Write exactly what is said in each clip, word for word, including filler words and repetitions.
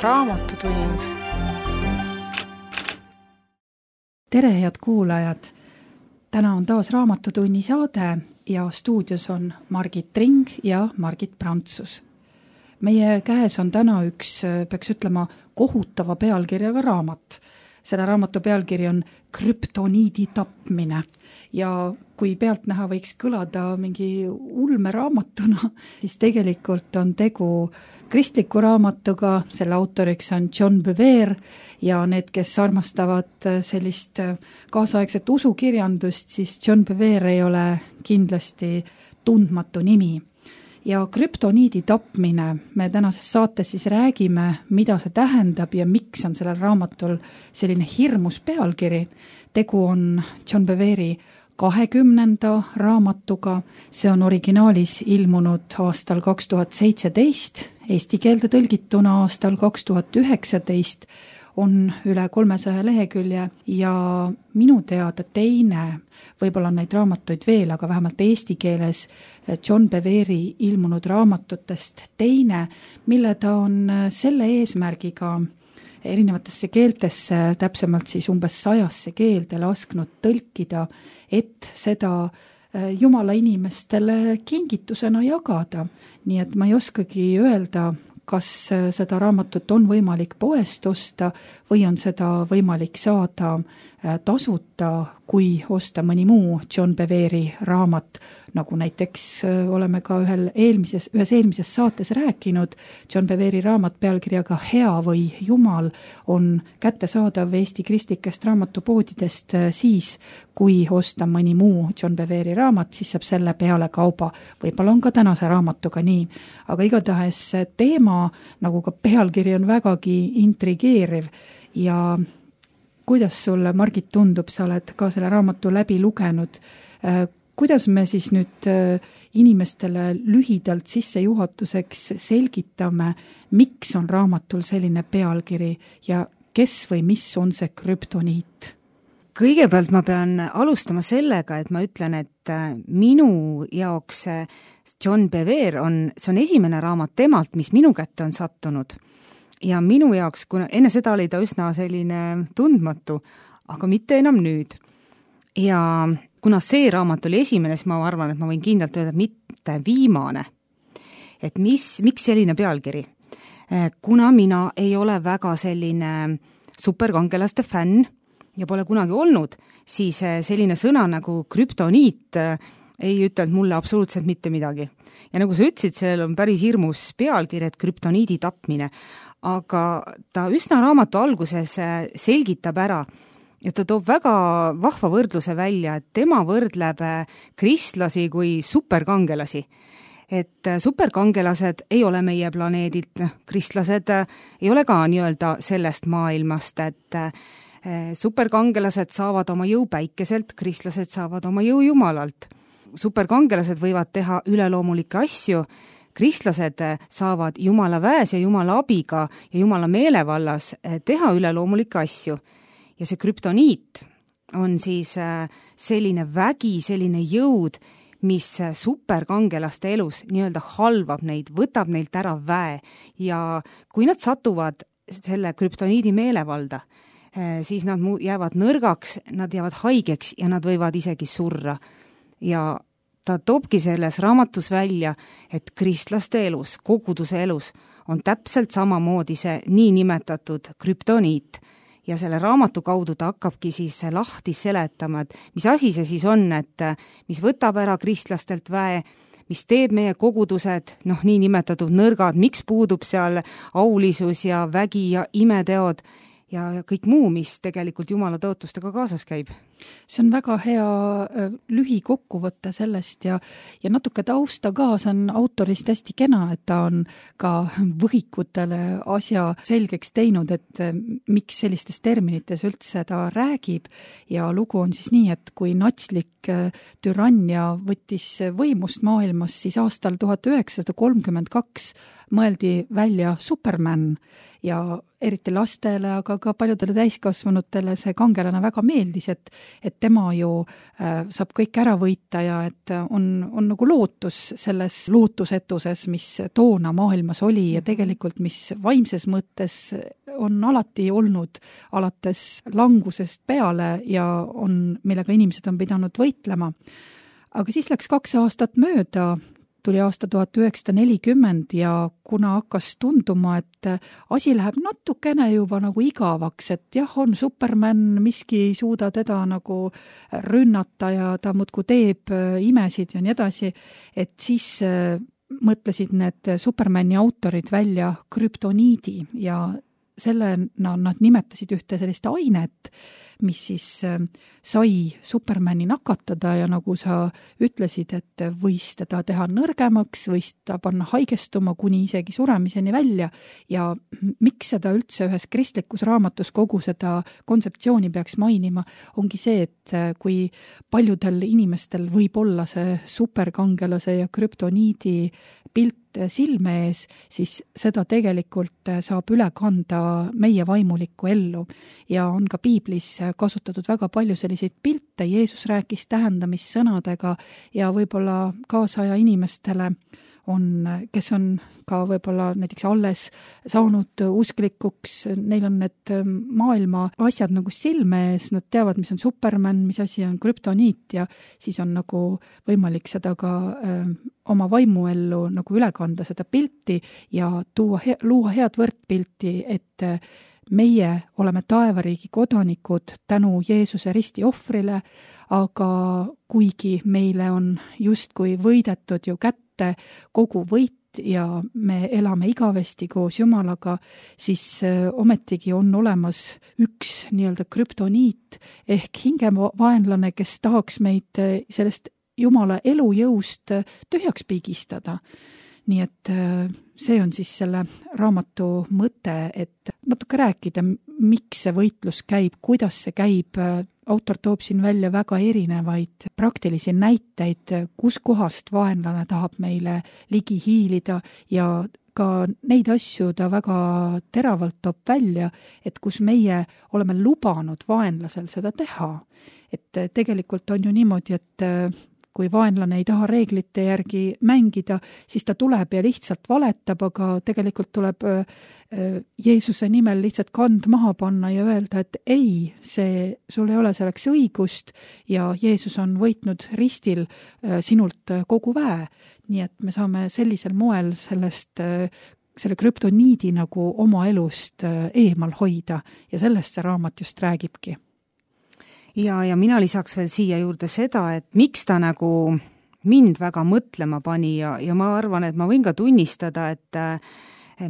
raamatutund. Tere, head kuulajad! Täna on taas Raamatutunni saade ja stuudios on Margit Tring ja Margit Prantsus. Meie käes on täna üks, peaks ütlema, kohutava pealkirjaga raamat. Selle raamatu pealkiri on Krüptoniidi tapmine ja kui pealt näha võiks kõlada mingi ulmeraamatuna, siis tegelikult on tegu kristliku raamatuga, selle autoriks on John Bevere ja need, kes armastavad sellist kaasaegset usukirjandust, siis John Bevere ei ole kindlasti tundmatu nimi. Ja krüptoniidi tapmine, me tänases saates siis räägime, mida see tähendab ja miks on sellel raamatul selline hirmus pealkiri. Tegu on John Bevere'i kahekümnenda raamatuga, see on originaalis ilmunud aastal kaks tuhat seitseteist, eesti keelde tõlgituna aastal kaks tuhat üheksateist, on üle kolmesaja lehekülje ja minu teada teine, võib-olla on neid raamatuid veel, aga vähemalt eesti keeles John Bevere'i ilmunud raamatutest teine, mille ta on selle eesmärgiga erinevatesse keeltesse, täpsemalt siis umbes sajasse keelde lasknud tõlkida, et seda Jumala inimestele kingitusena jagada. Nii et ma ei oskagi öelda, kas seda raamatut on võimalik poest osta või on seda võimalik saada tasuta, kui osta mõni muu John Bevere'i raamat, nagu näiteks oleme ka ühel eelmises, ühes eelmises saates rääkinud. John Bevere'i raamat pealkirjaga Hea või Jumal on kättesaadav Eesti kristlikest raamatupoodidest siis, kui osta mõni muu John Bevere'i raamat, siis saab selle peale kauba. Võib-olla on ka tänase raamatuga nii, aga igatahes teema, nagu ka pealkiri, on vägagi intrigeeriv ja kuidas sulle, Margit, tundub, sa oled ka selle raamatu läbi lugenud, kuidas me siis nüüd inimestele lühidalt sissejuhatuseks selgitame, miks on raamatul selline pealkiri ja kes või mis on see krüptoniit? Kõigepealt ma pean alustama sellega, et ma ütlen, et minu jaoks John Bevere on, see on esimene raamat temalt, mis minu kätte on sattunud. Ja minu jaoks, kuna enne seda oli ta üsna selline tundmatu, aga mitte enam nüüd. Ja kuna see raamat oli esimene, siis ma arvan, et ma võin kindlalt öelda, mitte viimane. Et mis, miks selline pealkiri? Kuna mina ei ole väga selline superkangelaste fänn ja pole kunagi olnud, siis selline sõna nagu krüptoniit ei ütelnud mulle absoluutselt mitte midagi. Ja nagu sa ütlesid, sellel on päris hirmus pealkiri, et krüptoniidi tapmine, aga ta üsna raamatu alguses selgitab ära ja ta toob väga vahva võrdluse välja, et tema võrdleb kristlasi kui superkangelasi. Et superkangelased ei ole meie planeedilt, kristlased ei ole ka nii-öelda sellest maailmast, et superkangelased saavad oma jõu päikeselt, kristlased saavad oma jõu Jumalalt. Superkangelased võivad teha üleloomulikke asju, kristlased saavad Jumala väes ja Jumala abiga ja Jumala meelevallas teha üleloomulikke asju. Ja see krüptoniit on siis selline vägi, selline jõud, mis superkangelaste elus nii-öelda halvab neid, võtab neilt ära väe ja kui nad satuvad selle krüptoniidi meelevalda, siis nad jäävad nõrgaks, nad jäävad haigeks ja nad võivad isegi surra. Ja ta toobki selles raamatus välja, et kristlaste elus, koguduse elus on täpselt samamoodi see niinimetatud krüptoniit. Ja selle raamatu kaudu ta hakkabki siis lahti seletama, et mis asi see siis on, et mis võtab ära kristlastelt väe, mis teeb meie kogudused, noh nii nimetatud nõrgad, miks puudub seal aulisus ja vägi ja imeteod ja kõik muu, mis tegelikult Jumala tõotustega kaasas käib. See on väga hea lühi kokkuvõte sellest ja, ja natuke tausta ka, see on autorist hästi kena, et ta on ka võhikutele asja selgeks teinud, et miks sellistes terminites üldse ta räägib ja lugu on siis nii, et kui natslik türannia võttis võimust maailmas, siis aastal tuhat üheksasada kolmkümmend kaks mõeldi välja Superman ja eriti lastele, aga ka paljudele täiskasvanutele see kangelane väga meeldis, et et tema ju äh, saab kõik ära võita ja et on, on nagu lootus selles lootusetuses, mis toona maailmas oli ja tegelikult mis vaimses mõttes on alati olnud alates langusest peale ja on, millega inimesed on pidanud võitlema. Aga siis läks kaks aastat mööda, tuli aasta tuhat üheksasada nelikümmend ja kuna hakkas tunduma, et asi läheb natukene juba nagu igavaks, et jah, on Superman, miski ei suuda teda nagu rünnata ja ta muudkui teeb imesid ja nii edasi, et siis mõtlesid need Supermani autorid välja krüptoniidi ja sellena nad nimetasid ühte sellist ainet, mis siis sai Supermani nakatada ja nagu sa ütlesid, et võis teda teha nõrgemaks, võis ta panna haigestuma kuni isegi suremiseni välja ja miks seda üldse ühes kristlikus raamatus kogu seda kontseptsiooni peaks mainima, ongi see, et kui paljudel inimestel võib olla see superkangelase ja krüptoniidi pilt silme ees, siis seda tegelikult saab üle kanda meie vaimulikku ellu ja on ka piiblis kasutatud väga palju selliseid pilte, Jeesus rääkis tähendamissõnadega ja võib-olla kaasaja inimestele on, kes on ka võib-olla näiteks alles saanud usklikuks, neil on need maailma asjad nagu silme ees, nad teavad, mis on Superman, mis asi on krüptoniit ja siis on nagu võimalik seda ka öö, oma vaimuellu nagu üle kanda seda pilti ja tuua, luua head võrdpilti, et meie oleme taevariigi kodanikud tänu Jeesuse risti ohvrile, aga kuigi meile on justkui võidetud ju kätte kogu võit ja me elame igavesti koos Jumalaga, siis ometigi on olemas üks nii-öelda krüptoniit ehk hingevaenlane, kes tahaks meid sellest Jumala elujõust tühjaks pigistada. Nii et see on siis selle raamatu mõte, et natuke rääkida, miks see võitlus käib, kuidas see käib. Autor toob siin välja väga erinevaid praktilisi näiteid, kus kohast vaenlane tahab meile ligi hiilida ja ka neid asju ta väga teravalt toob välja, et kus meie oleme lubanud vaenlasel seda teha. Et tegelikult on ju niimoodi, et kui vaenlane ei taha reeglite järgi mängida, siis ta tuleb ja lihtsalt valetab, aga tegelikult tuleb Jeesuse nimel lihtsalt kand maha panna ja öelda, et ei, see, sul ei ole selleks õigust ja Jeesus on võitnud ristil sinult kogu väe. Nii et me saame sellisel moel sellest, selle krüptoniidi nagu oma elust eemal hoida ja sellest see raamat just räägibki. Ja, ja mina lisaks veel siia juurde seda, et miks ta nagu mind väga mõtlema pani ja, ja ma arvan, et ma võin ka tunnistada, et äh,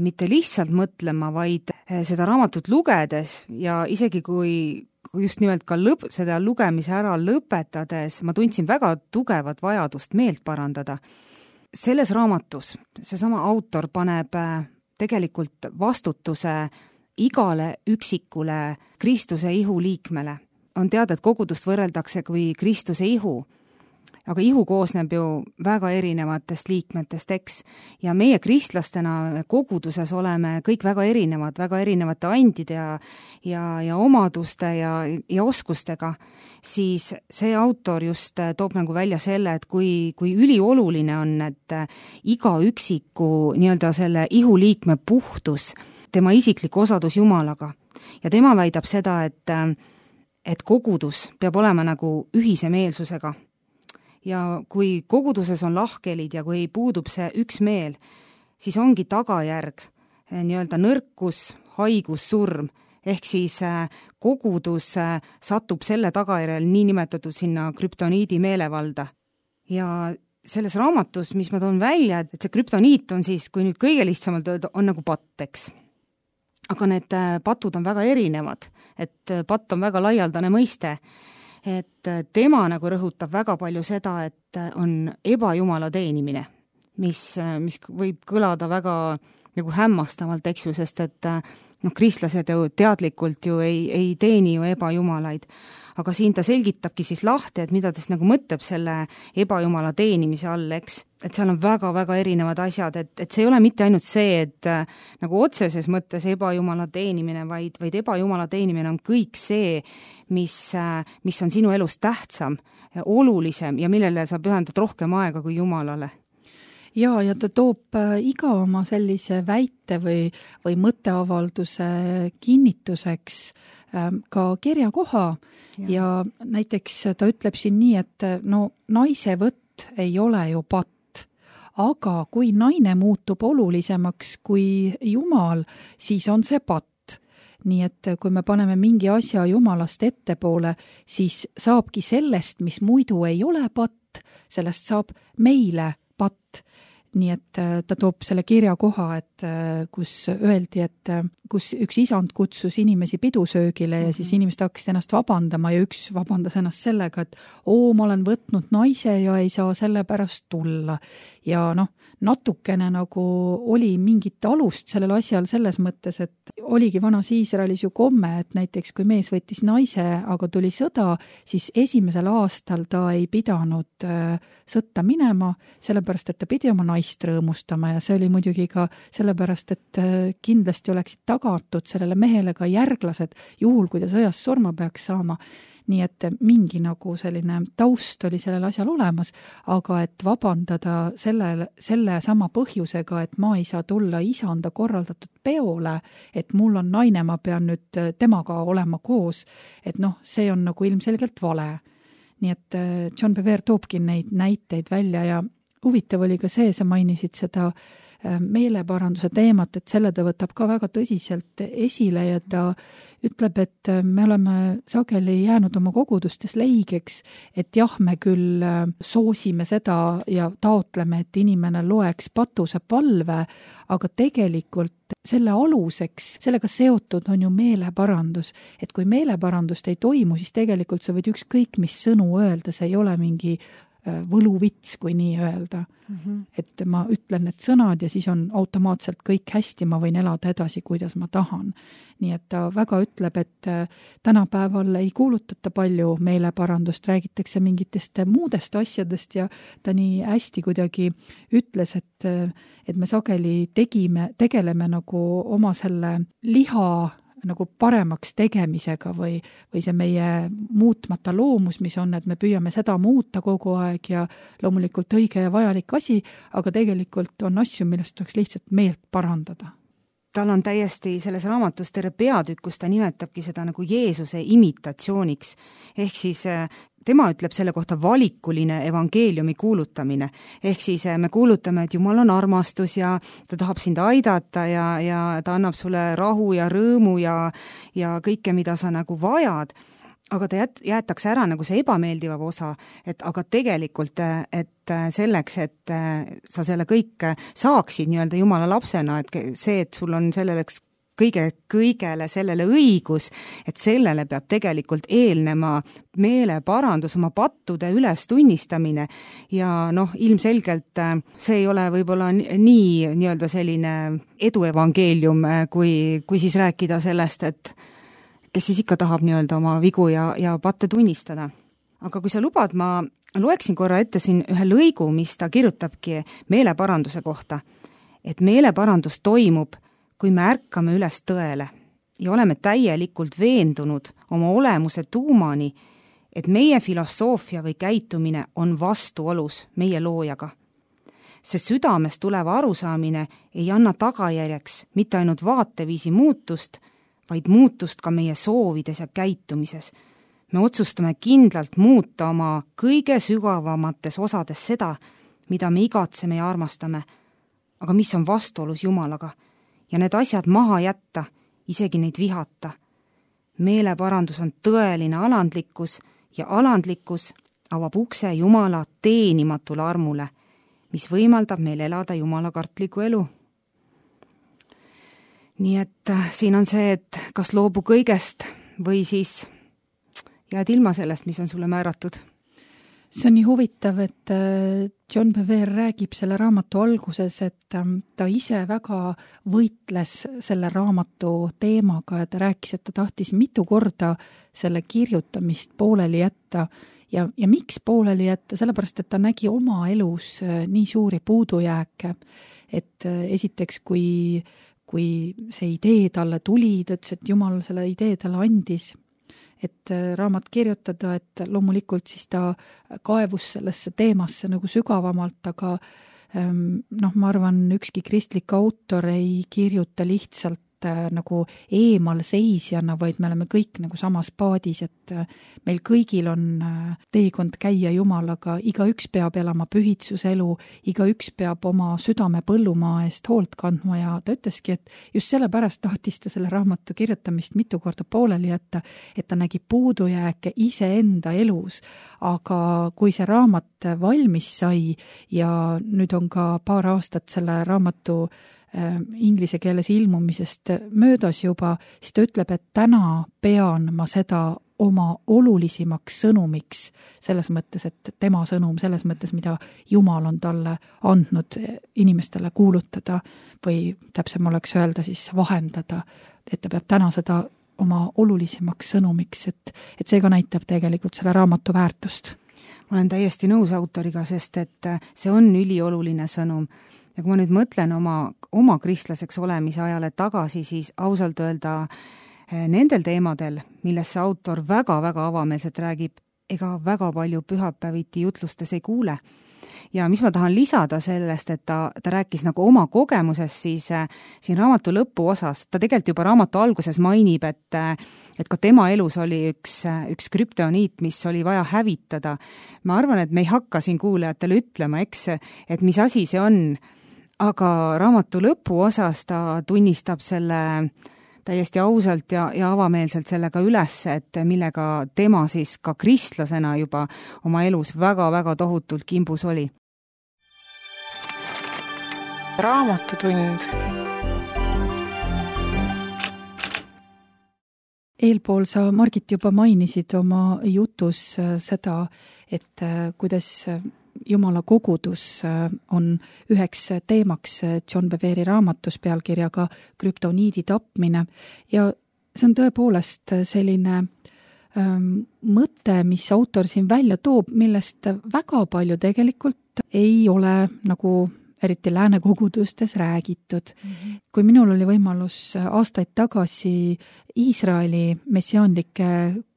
mitte lihtsalt mõtlema, vaid seda raamatut lugedes ja isegi kui, kui just nimelt ka lõp, seda lugemise ära lõpetades, ma tundsin väga tugevat vajadust meelt parandada. Selles raamatus seesama autor paneb tegelikult vastutuse igale üksikule Kristuse ihu liikmele. On teada, et kogudust võrreldakse kui Kristuse ihu, aga ihu koosneb ju väga erinevatest liikmetest, eks, ja meie kristlastena koguduses oleme kõik väga erinevad, väga erinevate andide ja, ja, ja omaduste ja, ja oskustega, siis see autor just toob nagu välja selle, et kui, kui ülioluline on, et iga üksiku nii-öelda selle ihu liikme puhtus, tema isiklik osadus Jumalaga. Ja tema väidab seda, et et kogudus peab olema nagu ühise meelsusega. Ja kui koguduses on lahkelid ja kui puudub see üks meel, siis ongi tagajärg nii-öelda nõrkus, haigus, surm, ehk siis kogudus satub selle tagajärjel nii nimetatud sinna krüptoniidi meelevalda. Ja selles raamatus, mis ma toon välja, et see krüptoniit on siis, kui nüüd kõige lihtsamalt öelda, on nagu patteks. Aga need patud on väga erinevad, et patt on väga laialdane mõiste, et tema nagu rõhutab väga palju seda, et on ebajumala teenimine, mis, mis võib kõlada väga nagu hämmastavalt, eks ju, sest et noh, kristlased ju teadlikult ju ei, ei teeni ju ebajumalaid. Aga siin ta selgitabki siis lahti, et mida ta siis nagu mõtleb selle ebajumala teenimise all, eks. Et seal on väga-väga erinevad asjad, et, et see ei ole mitte ainult see, et äh, nagu otseses mõttes ebajumala teenimine, vaid, vaid ebajumala teenimine on kõik see, mis, äh, mis on sinu elus tähtsam, olulisem ja millele sa pühendad rohkem aega kui Jumalale. Ja, ja ta toob iga oma sellise väite või, või mõtteavalduse kinnituseks ka kirjakoha ja. ja näiteks ta ütleb siin nii, et no naise võtt ei ole ju patt, aga kui naine muutub olulisemaks kui Jumal, siis on see patt. Nii et kui me paneme mingi asja Jumalast ettepoole, siis saabki sellest, mis muidu ei ole patt, sellest saab meile patt. Nii et ta toob selle kirjakoha, et kus öeldi, et kus üks isand kutsus inimesi pidusöögile ja siis inimesed hakkasid ennast vabandama ja üks vabandas ennast sellega, et oo, ma olen võtnud naise ja ei saa selle pärast tulla. Ja noh, natukene nagu oli mingit alust sellel asjal selles mõttes, et oligi vanas Iisraelis ju komme, et näiteks kui mees võttis naise, aga tuli sõda, siis esimesel aastal ta ei pidanud sõtta minema, sellepärast, et ta pidi oma naist rõõmustama ja see oli muidugi ka sellepärast, et kindlasti oleksid tagatud sellele mehele ka järglased, juhul kui ta sõjas surma peaks saama. Nii et mingi nagu selline taust oli sellel asjal olemas, aga et vabandada selle, selle sama põhjusega, et ma ei saa tulla isanda korraldatud peole, et mul on naine, ma pean nüüd temaga olema koos, et noh, see on nagu ilmselgelt vale. Nii et John Bevere toobki neid näiteid välja ja huvitav oli ka see, sa mainisid seda meeleparanduse teemat, et selle ta võtab ka väga tõsiselt esile ja ta ütleb, et me oleme sageli jäänud oma kogudustes leigeks, et jah, me küll soosime seda ja taotleme, et inimene loeks patuse palve, aga tegelikult selle aluseks, sellega seotud on ju meeleparandus, et kui meeleparandust ei toimu, siis tegelikult sa võid ükskõik mis sõnu öelda, see ei ole mingi võluvits, kui nii öelda. Mm-hmm. Et ma ütlen need sõnad ja siis on automaatselt kõik hästi, ma võin elada edasi, kuidas ma tahan. Nii et ta väga ütleb, et tänapäeval ei kuulutata palju meeleparandust, räägitakse mingitest muudest asjadest ja ta nii hästi kuidagi ütles, et, et me sageli tegime, tegeleme nagu oma selle liha nagu paremaks tegemisega või, või see meie muutmata loomus, mis on, et me püüame seda muuta kogu aeg ja loomulikult õige ja vajalik asi, aga tegelikult on asju, millest tuleks lihtsalt meelt parandada. Tal on täiesti selles raamatus terve peatükk, kus ta nimetabki seda nagu Jeesuse imitatsiooniks. Ehk siis tema ütleb selle kohta valikuline evangeeliumi kuulutamine. Ehk siis me kuulutame, et Jumal on armastus ja ta tahab sind aidata ja, ja ta annab sulle rahu ja rõõmu ja, ja kõike, mida sa nagu vajad. Aga ta jät, jäetakse ära nagu see ebameeldivav osa, et aga tegelikult, et selleks, et sa selle kõik saaksid nii-öelda Jumala lapsena, et see, et sul on selleks kõige, kõigele sellele õigus, et sellele peab tegelikult eelnema meeleparandus, oma pattude üles tunnistamine ja noh, ilmselgelt see ei ole võib-olla nii nii-öelda selline eduevangeelium, kui, kui siis rääkida sellest, et kes siis ikka tahab nii-öelda oma vigu ja, ja patte tunnistada. Aga kui sa lubad, ma loeksin korra ette siin ühe lõigu, mis ta kirjutabki meeleparanduse kohta, et meeleparandus toimub, kui me ärkame üles tõele ja oleme täielikult veendunud oma olemuse tuumani, et meie filosoofia või käitumine on vastuolus meie loojaga. See südamest tuleva arusaamine ei anna tagajärjeks mitte ainult vaateviisi muutust, vaid muutust ka meie soovides ja käitumises. Me otsustame kindlalt muuta oma kõige sügavamates osades seda, mida me igatseme ja armastame, aga mis on vastuolus Jumalaga, ja need asjad maha jätta, isegi neid vihata. Meeleparandus on tõeline alandlikkus ja alandlikkus avab ukse Jumala teenimatule armule, mis võimaldab meil elada Jumala kartliku elu. Nii et siin on see, et kas loobu kõigest või siis jääd ilma sellest, mis on sulle määratud. see on nii huvitav, et John Bevere räägib selle raamatu alguses, et ta ise väga võitles selle raamatu teemaga ja ta rääkis, et ta tahtis mitu korda selle kirjutamist pooleli jätta ja, ja miks pooleli jätta, sellepärast, et ta nägi oma elus nii suuri puudujääke, et esiteks, kui, kui see idee talle tuli, ta ütles, et Jumal selle idee talle andis, et raamat kirjutada, et loomulikult siis ta kaevus sellesse teemasse nagu sügavamalt, aga noh, ma arvan, ükski kristlik autor ei kirjuta lihtsalt nagu eemalseisjana, vaid me oleme kõik nagu samas paadis, et meil kõigil on teekond käia Jumalaga, igaüks peab elama pühitsuselu, igaüks peab oma südame põllumaa eest hoolt kandma ja ta ütleski, et just sellepärast tahtis ta selle raamatu kirjutamist mitu korda pooleli jätta, et ta nägi puudujääke iseenda elus, aga kui see raamat valmis sai ja nüüd on ka paar aastat selle raamatu inglise keeles ilmumisest möödas juba, siis ta ütleb, et täna pean ma seda oma olulisimaks sõnumiks, selles mõttes, et tema sõnum, selles mõttes, mida Jumal on talle andnud inimestele kuulutada või täpsem oleks öelda siis vahendada, et ta peab täna seda oma olulisimaks sõnumiks, et, et see ka näitab tegelikult selle raamatu väärtust. Ma olen täiesti nõus autoriga, sest et see on ülioluline sõnum. Ja kui ma nüüd mõtlen oma, oma kristlaseks olemise ajale tagasi, siis ausalt öelda nendel teemadel, millesse autor väga-väga avameelselt räägib, ega väga palju pühapäeviti jutlustes ei kuule. Ja mis ma tahan lisada sellest, et ta, ta rääkis nagu oma kogemusest, siis äh, siin raamatu lõpu osas, ta tegelikult juba raamatu alguses mainib, et, et ka tema elus oli üks, üks krüptoniit, mis oli vaja hävitada. Ma arvan, et me ei hakka siin kuulajatele ütlema, eks, et mis asi see on, aga raamatu lõpu osas ta tunnistab selle täiesti ausalt ja, ja avameelselt sellega üles, et millega tema siis ka kristlasena juba oma elus väga-väga tohutult kimbus oli. Raamatutund. Eelpool sa, Margit, juba mainisid oma jutus seda, et kuidas Jumala kogudus on üheks teemaks John Bevere'i raamatus pealkirjaga krüptoniidi tapmine ja see on tõepoolest selline ähm, mõte, mis autor siin välja toob, millest väga palju tegelikult ei ole nagu eriti lääne kogudustes räägitud. Mm-hmm. Kui minul oli võimalus aastaid tagasi Iisraeli messiaanlike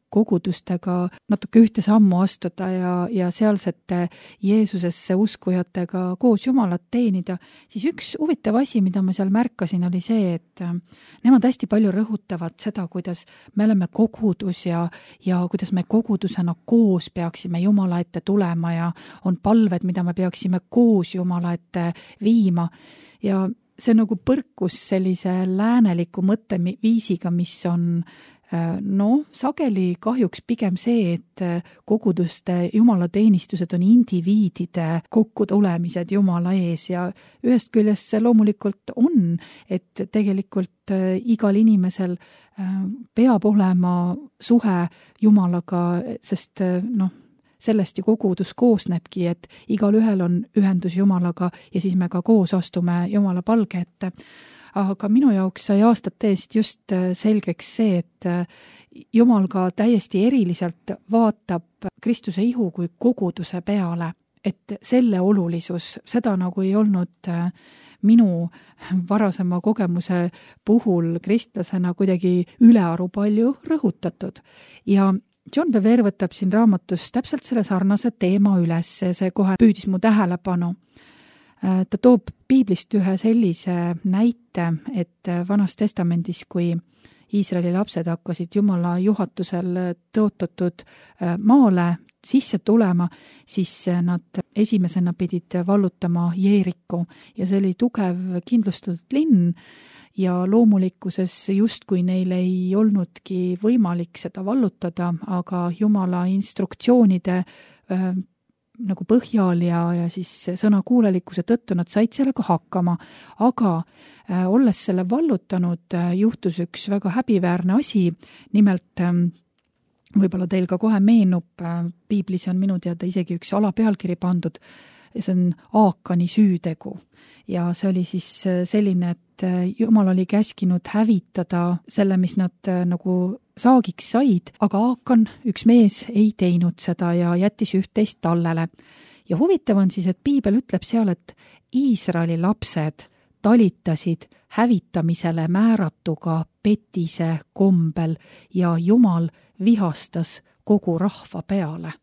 kogudustega natuke ühte sammu astuda ja, ja sealsete Jeesusesse uskujatega koos Jumalat teenida, siis üks huvitav asi, mida ma seal märkasin, oli see, et nemad hästi palju rõhutavad seda, kuidas me oleme kogudus ja, ja kuidas me kogudusena koos peaksime Jumala ette tulema ja on palved, mida me peaksime koos Jumala ette viima ja see nagu põrkus sellise lääneliku mõtteviisiga, mis on no sageli kahjuks pigem see, et koguduste jumalateenistused on indiviidide kokkutulemised Jumala ees ja ühest küljest see loomulikult on, et tegelikult igal inimesel peab olema suhe Jumalaga, sest noh, sellest ju kogudus koosnebki, et igal ühel on ühendus Jumalaga ja siis me ka koos astume Jumala palge ette. Aga minu jaoks sai aastate eest just selgeks see, et Jumal ka täiesti eriliselt vaatab Kristuse ihu kui koguduse peale, et selle olulisus, seda nagu ei olnud minu varasema kogemuse puhul kristlasena kuidagi ülearu palju rõhutatud. Ja John Bevere võtab siin raamatus täpselt selle sarnase teema üles, see kohe püüdis mu tähelepanu. Ta toob piiblist ühe sellise näite, et Vanas testamendis, kui Iisraeli lapsed hakkasid Jumala juhatusel tõotatud maale sisse tulema, siis nad esimesena pidid vallutama Jeeriku ja see oli tugev kindlustatud linn ja loomulikkuses justkui neil ei olnudki võimalik seda vallutada, aga Jumala instruktsioonide nagu põhjal ja, ja siis sõna kuulelikkuse tõttu nad said sellega hakkama, aga äh, olles selle vallutanud, äh, juhtus üks väga häbiväärne asi, nimelt äh, võib-olla teil ka kohe meenub, piiblis on minu teada isegi üks alapealkiri pandud, see on Aakani süütegu. Ja see oli siis selline, et Jumal oli käskinud hävitada selle, mis nad nagu saagiks said, aga Aakan, üks mees, ei teinud seda ja jättis üht-teist tallele. Ja huvitav on siis, et piibel ütleb seal, et Iisraeli lapsed talitasid hävitamisele määratuga petise kombel ja Jumal vihastas kogu rahva peale.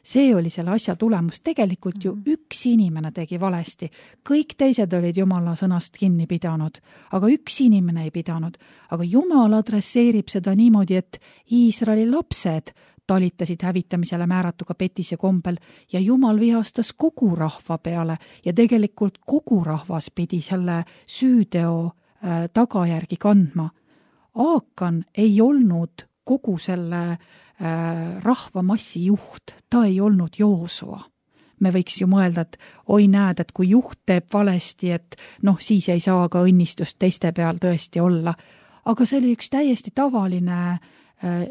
See oli selle asja tulemus. Tegelikult ju üks inimene tegi valesti. Kõik teised olid Jumala sõnast kinni pidanud, aga üks inimene ei pidanud. Aga Jumal adresseerib seda niimoodi, et Iisraeli lapsed talitasid hävitamisele määratuga petise kombel ja Jumal vihastas kogu rahva peale ja tegelikult kogu rahvas pidi selle süüteo äh, tagajärgi kandma. Aakan ei olnud kogu selle äh, rahvamassi juht, ta ei olnud Joosua. Me võiks ju mõelda, et oi näed, et kui juht teeb valesti, et noh, siis ei saa ka õnnistust teiste peal tõesti olla. Aga see oli üks täiesti tavaline äh,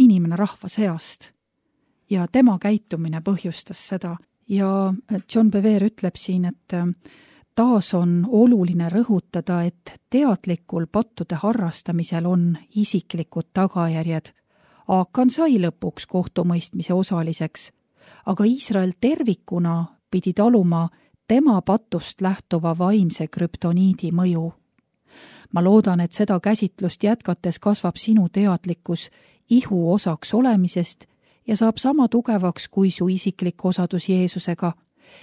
inimene rahva seast ja tema käitumine põhjustas seda. Ja John Bevere ütleb siin, et äh, taas on oluline rõhutada, et teadlikul pattude harrastamisel on isiklikud tagajärjed. Aakan sai lõpuks kohtumõistmise osaliseks, aga Iisrael tervikuna pidi taluma tema patust lähtuva vaimse krüptoniidi mõju. Ma loodan, et seda käsitlust jätkates kasvab sinu teadlikkus ihu osaks olemisest ja saab sama tugevaks kui su isiklik osadus Jeesusega,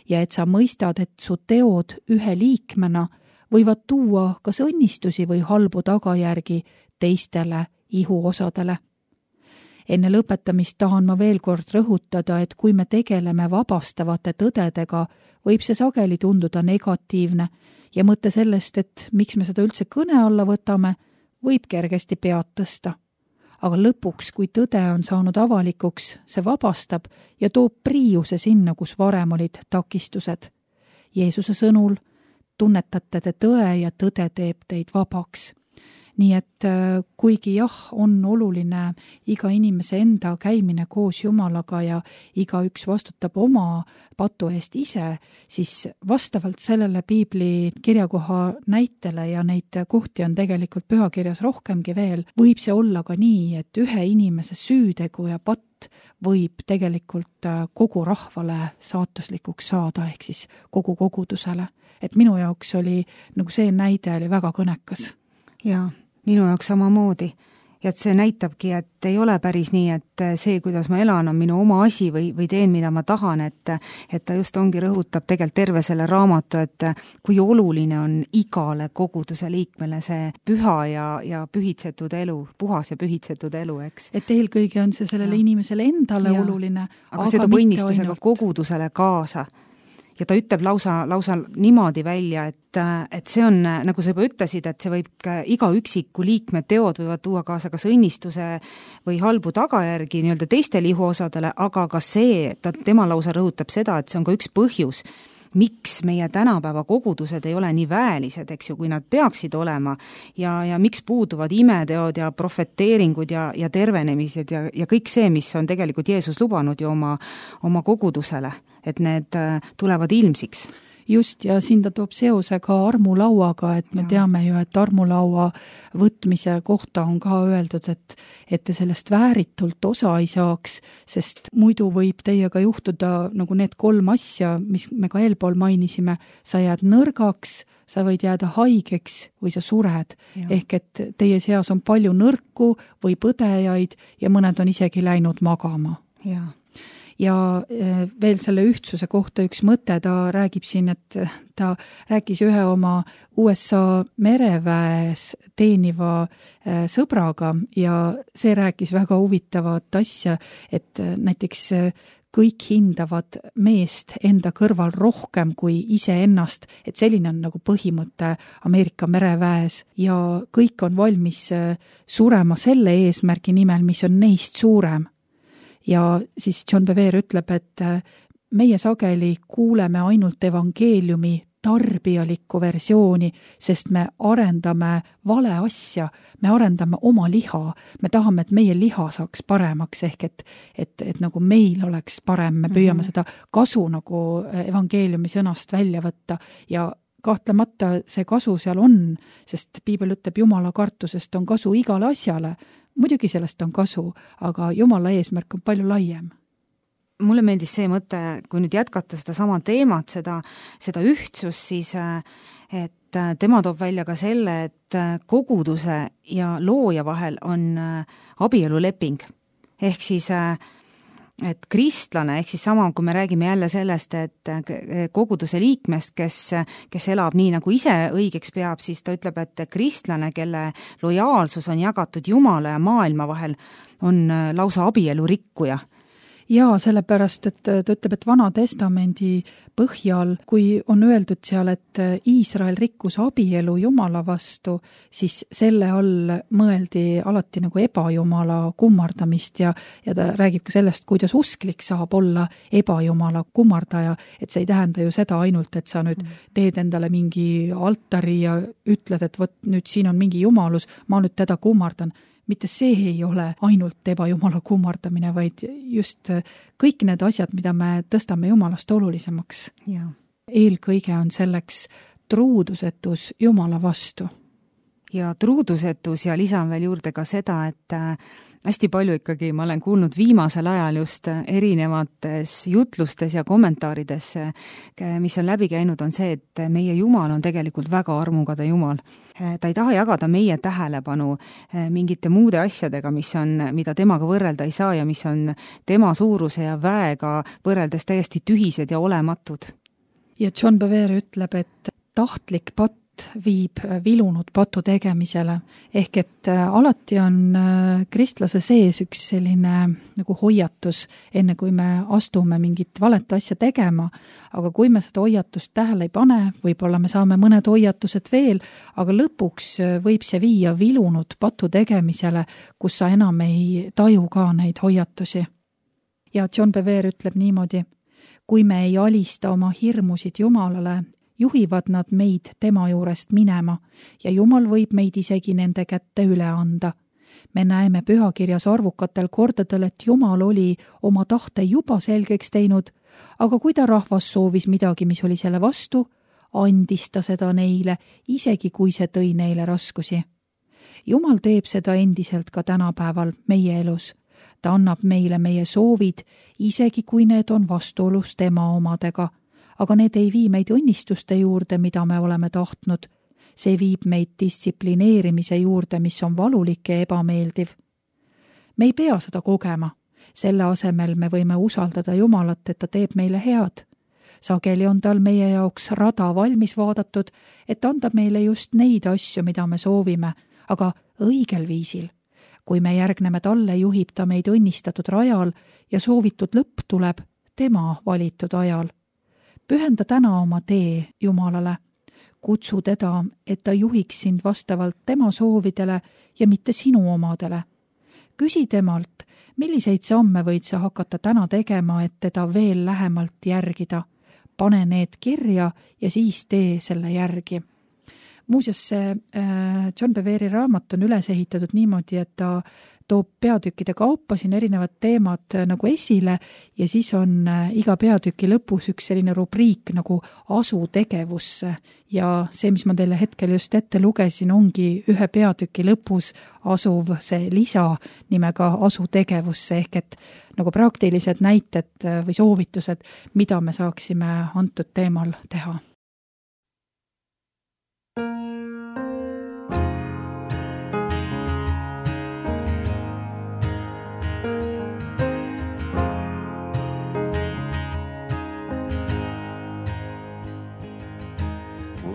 ja et sa mõistad, et su teod ühe liikmena võivad tuua kas õnnistusi või halbu tagajärgi teistele ihuosadele. Enne lõpetamist tahan ma veel kord rõhutada, et kui me tegeleme vabastavate tõdedega, võib see sageli tunduda negatiivne ja mõte sellest, et miks me seda üldse kõne alla võtame, võib kergesti pead tõsta. Aga lõpuks, kui tõde on saanud avalikuks, see vabastab ja toob priiuse sinna, kus varem olid takistused. Jeesuse sõnul tunnetate te tõe ja tõde teeb teid vabaks. Nii et kuigi jah, on oluline iga inimese enda käimine koos Jumalaga ja iga üks vastutab oma patu eest ise, siis vastavalt sellele piibli kirjakoha näitele ja neid kohti on tegelikult pühakirjas rohkemgi veel, võib see olla ka nii, et ühe inimese süütegu ja patt võib tegelikult kogu rahvale saatuslikuks saada, ehk siis kogu kogudusele. Et minu jaoks oli, nagu see näide oli väga kõnekas. Jaa. Minu jaoks samamoodi. Ja et see näitabki, et ei ole päris nii, et see, kuidas ma elan, on minu oma asi või, või teen, mida ma tahan, et, et ta just ongi rõhutab tegelikult terve selle raamatu, et kui oluline on igale koguduse liikmele see püha ja, ja pühitsetud elu, puhas ja pühitsetud elu, eks. Et eelkõige on see sellele ja. inimesele endale ja. oluline. Aga, aga see toob õnnistusega kogudusele kaasa. Ja ta ütleb lausa, lausa niimoodi välja, et, et see on, nagu sa juba ütlesid, et see võib iga üksiku liikme teod võivad tuua kaasa kas õnnistuse või halbu tagajärgi nii-öelda teistele ihuosadele, aga ka see, ta, tema lausa rõhutab seda, et see on ka üks põhjus, miks meie tänapäeva kogudused ei ole nii väelised, eks ju, kui nad peaksid olema ja, ja miks puuduvad imeteod ja profeteeringud ja, ja tervenemised ja, ja kõik see, mis on tegelikult Jeesus lubanud ju oma, oma kogudusele, et need tulevad ilmsiks. Just, ja siin ta toob seose ka armulauaga, et me ja. teame ju, et armulaua võtmise kohta on ka öeldud, et, et te sellest vääritult osa ei saaks, sest muidu võib teiega juhtuda nagu need kolm asja, mis me ka eelpool mainisime, sa jääd nõrgaks, sa võid jääda haigeks või sa sured. Ja. Ehk et teie seas on palju nõrku või põdejaid ja mõned on isegi läinud magama. Jaa. Ja veel selle ühtsuse kohta üks mõte, ta räägib siin, et ta rääkis ühe oma U S A mereväes teeniva sõbraga ja see rääkis väga huvitavat asja, et näiteks kõik hindavad meest enda kõrval rohkem kui iseennast, et selline on nagu põhimõte Ameerika mereväes ja kõik on valmis surema selle eesmärgi nimel, mis on neist suurem. Ja siis John Bevere ütleb, et meie sageli kuuleme ainult evangeeliumi tarbijalikku versiooni, sest me arendame vale asja, me arendame oma liha, me tahame, et meie liha saaks paremaks, ehk et, et, et nagu meil oleks parem, me püüame mm-hmm. seda kasu nagu evangeeliumi sõnast välja võtta ja kahtlemata see kasu seal on, sest piibel ütleb, Jumala kartusest on kasu igale asjale. Muidugi sellest on kasu, aga Jumala eesmärk on palju laiem. Mulle meeldis see mõte, kui nüüd jätkata seda sama teemat, seda, seda ühtsust, siis et tema toob välja ka selle, et koguduse ja looja vahel on abieluleping. Ehk siis et kristlane, ehk siis sama, kui me räägime jälle sellest, et koguduse liikmest, kes, kes elab nii, nagu ise õigeks peab, siis ta ütleb, et kristlane, kelle lojaalsus on jagatud Jumala ja maailma vahel, on lausa abielu rikkuja. Jaa, sellepärast, et ta ütleb, et Vana Testamendi põhjal, kui on öeldud seal, et Iisrael rikkus abielu Jumala vastu, siis selle all mõeldi alati nagu ebajumala kummardamist ja, ja ta räägib ka sellest, kuidas usklik saab olla ebajumala kummardaja, et see ei tähenda ju seda ainult, et sa nüüd teed endale mingi altari ja ütled, et võt, nüüd siin on mingi jumalus, ma nüüd teda kummardan. Mitte see ei ole ainult ebajumala kummardamine, vaid just kõik need asjad, mida me tõstame Jumalast olulisemaks. Ja. Eelkõige on selleks truudusetus Jumala vastu. Ja truudusetus ja lisan veel juurde ka seda, et hästi palju ikkagi ma olen kuulnud viimasel ajal just erinevates jutlustes ja kommentaarides, mis on läbi käinud, on see, et meie Jumal on tegelikult väga armukade Jumal. Ta ei taha jagada meie tähelepanu mingite muude asjadega, mis on, mida temaga võrrelda ei saa ja mis on tema suuruse ja väega võrreldes täiesti tühised ja olematud. Ja John Bevere ütleb, et tahtlik patt viib vilunud patu tegemisele, ehk et alati on kristlase sees üks selline nagu hoiatus, enne kui me astume mingit valet asja tegema, aga kui me seda hoiatust tähele ei pane, võib-olla me saame mõned hoiatused veel, aga lõpuks võib see viia vilunud patu tegemisele, kus sa enam ei taju ka neid hoiatusi. Ja John Bevere ütleb niimoodi, kui me ei alista oma hirmusid Jumalale, juhivad nad meid tema juurest minema ja Jumal võib meid isegi nende kätte üle anda. Me näeme pühakirjas arvukatel kordadel, et Jumal oli oma tahte juba selgeks teinud, aga kui ta rahvas soovis midagi, mis oli selle vastu, andis ta seda neile, isegi kui see tõi neile raskusi. Jumal teeb seda endiselt ka tänapäeval meie elus. Ta annab meile meie soovid, isegi kui need on vastuolus tema omadega, aga need ei vii meid õnnistuste juurde, mida me oleme tahtnud. See viib meid distsiplineerimise juurde, mis on valulik ja ebameeldiv. Me ei pea seda kogema. Selle asemel me võime usaldada Jumalat, et ta teeb meile head. Sageli on tal meie jaoks rada valmis vaadatud, et anda meile just neid asju, mida me soovime, aga õigel viisil. Kui me järgneme talle, juhib ta meid õnnistatud rajal ja soovitud lõpp tuleb tema valitud ajal. Pühenda täna oma tee Jumalale. Kutsu teda, et ta juhiks sind vastavalt tema soovidele ja mitte sinu omadele. Küsi temalt, milliseid samme võid sa hakata täna tegema, et teda veel lähemalt järgida. Pane need kirja ja siis tee selle järgi. Muuseas, see John Bevere raamat on üles ehitatud niimoodi, et ta toob peatükkide kaupa siin erinevad teemad nagu esile ja siis on iga peatüki lõpus üks selline rubriik nagu asu tegevusse ja see, mis ma teile hetkel just ette lugesin, ongi ühe peatüki lõpus asuv see lisa nimega asu tegevusse ehk et nagu praktilised näited või soovitused, mida me saaksime antud teemal teha.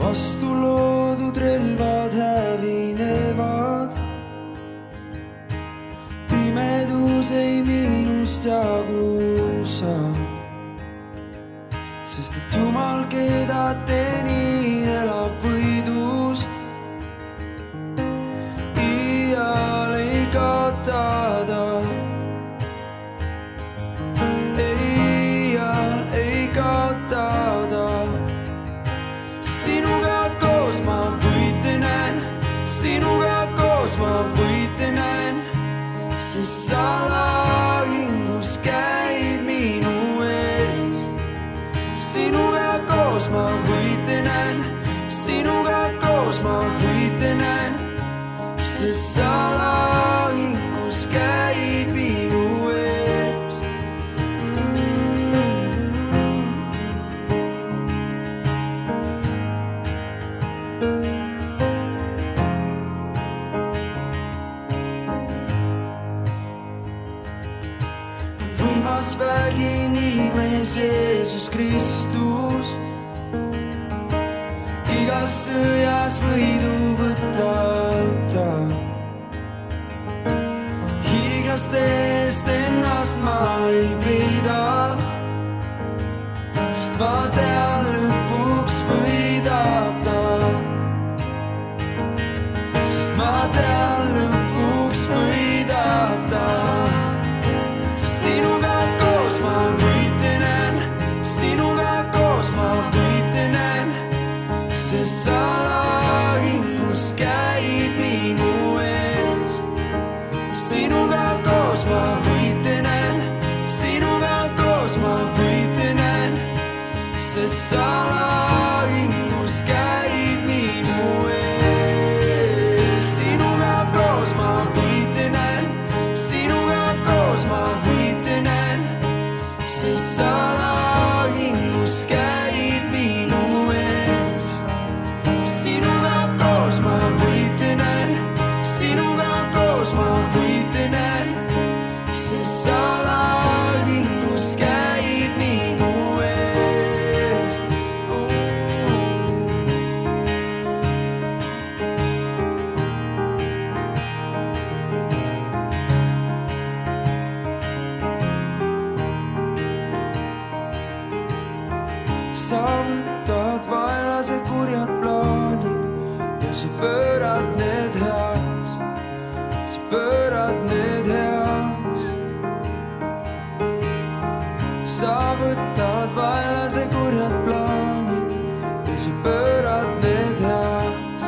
Vastu loodud relvad hävinevad, pimedus ei minust jagusa, sest et Jumal, keda tenin, elab võidus. Iial ei kaotada, iial ei kaotada. salahingus käid minu ees. Sinuga koos ma võitlen, sinuga koos ma võitlen, sest salahingus käid minu ees. Võimas vägi nimes Jeesus Kristus, igas sõjas võidu võtab ta. Hiiglaste eest ennast ma ei peida, sest ma tean lõpuks võidab ta. Sest ma tean lõpuks võidab ta. Sinuga koos ma võitlen, sinuga koos ma võitlen, sest salahingus käid minu ees. Sinuga koos ma võitlen, sinuga koos ma võitlen, sest salahingus käid minu ees. Sinuga koos ma võitlen, sinuga koos ma võitlen, sest salahingus käid minu ees. Sinuga koos ma võitlen, sinuga koos ma võitlen, sest salahingus käid minu ees. Sa võtad vaenlase kurjad plaanid ja sa pöörad need heaks, sa pöörad need heaks. Sa võtad vaenlase kurjad plaanid ja sa pöörad need heaks,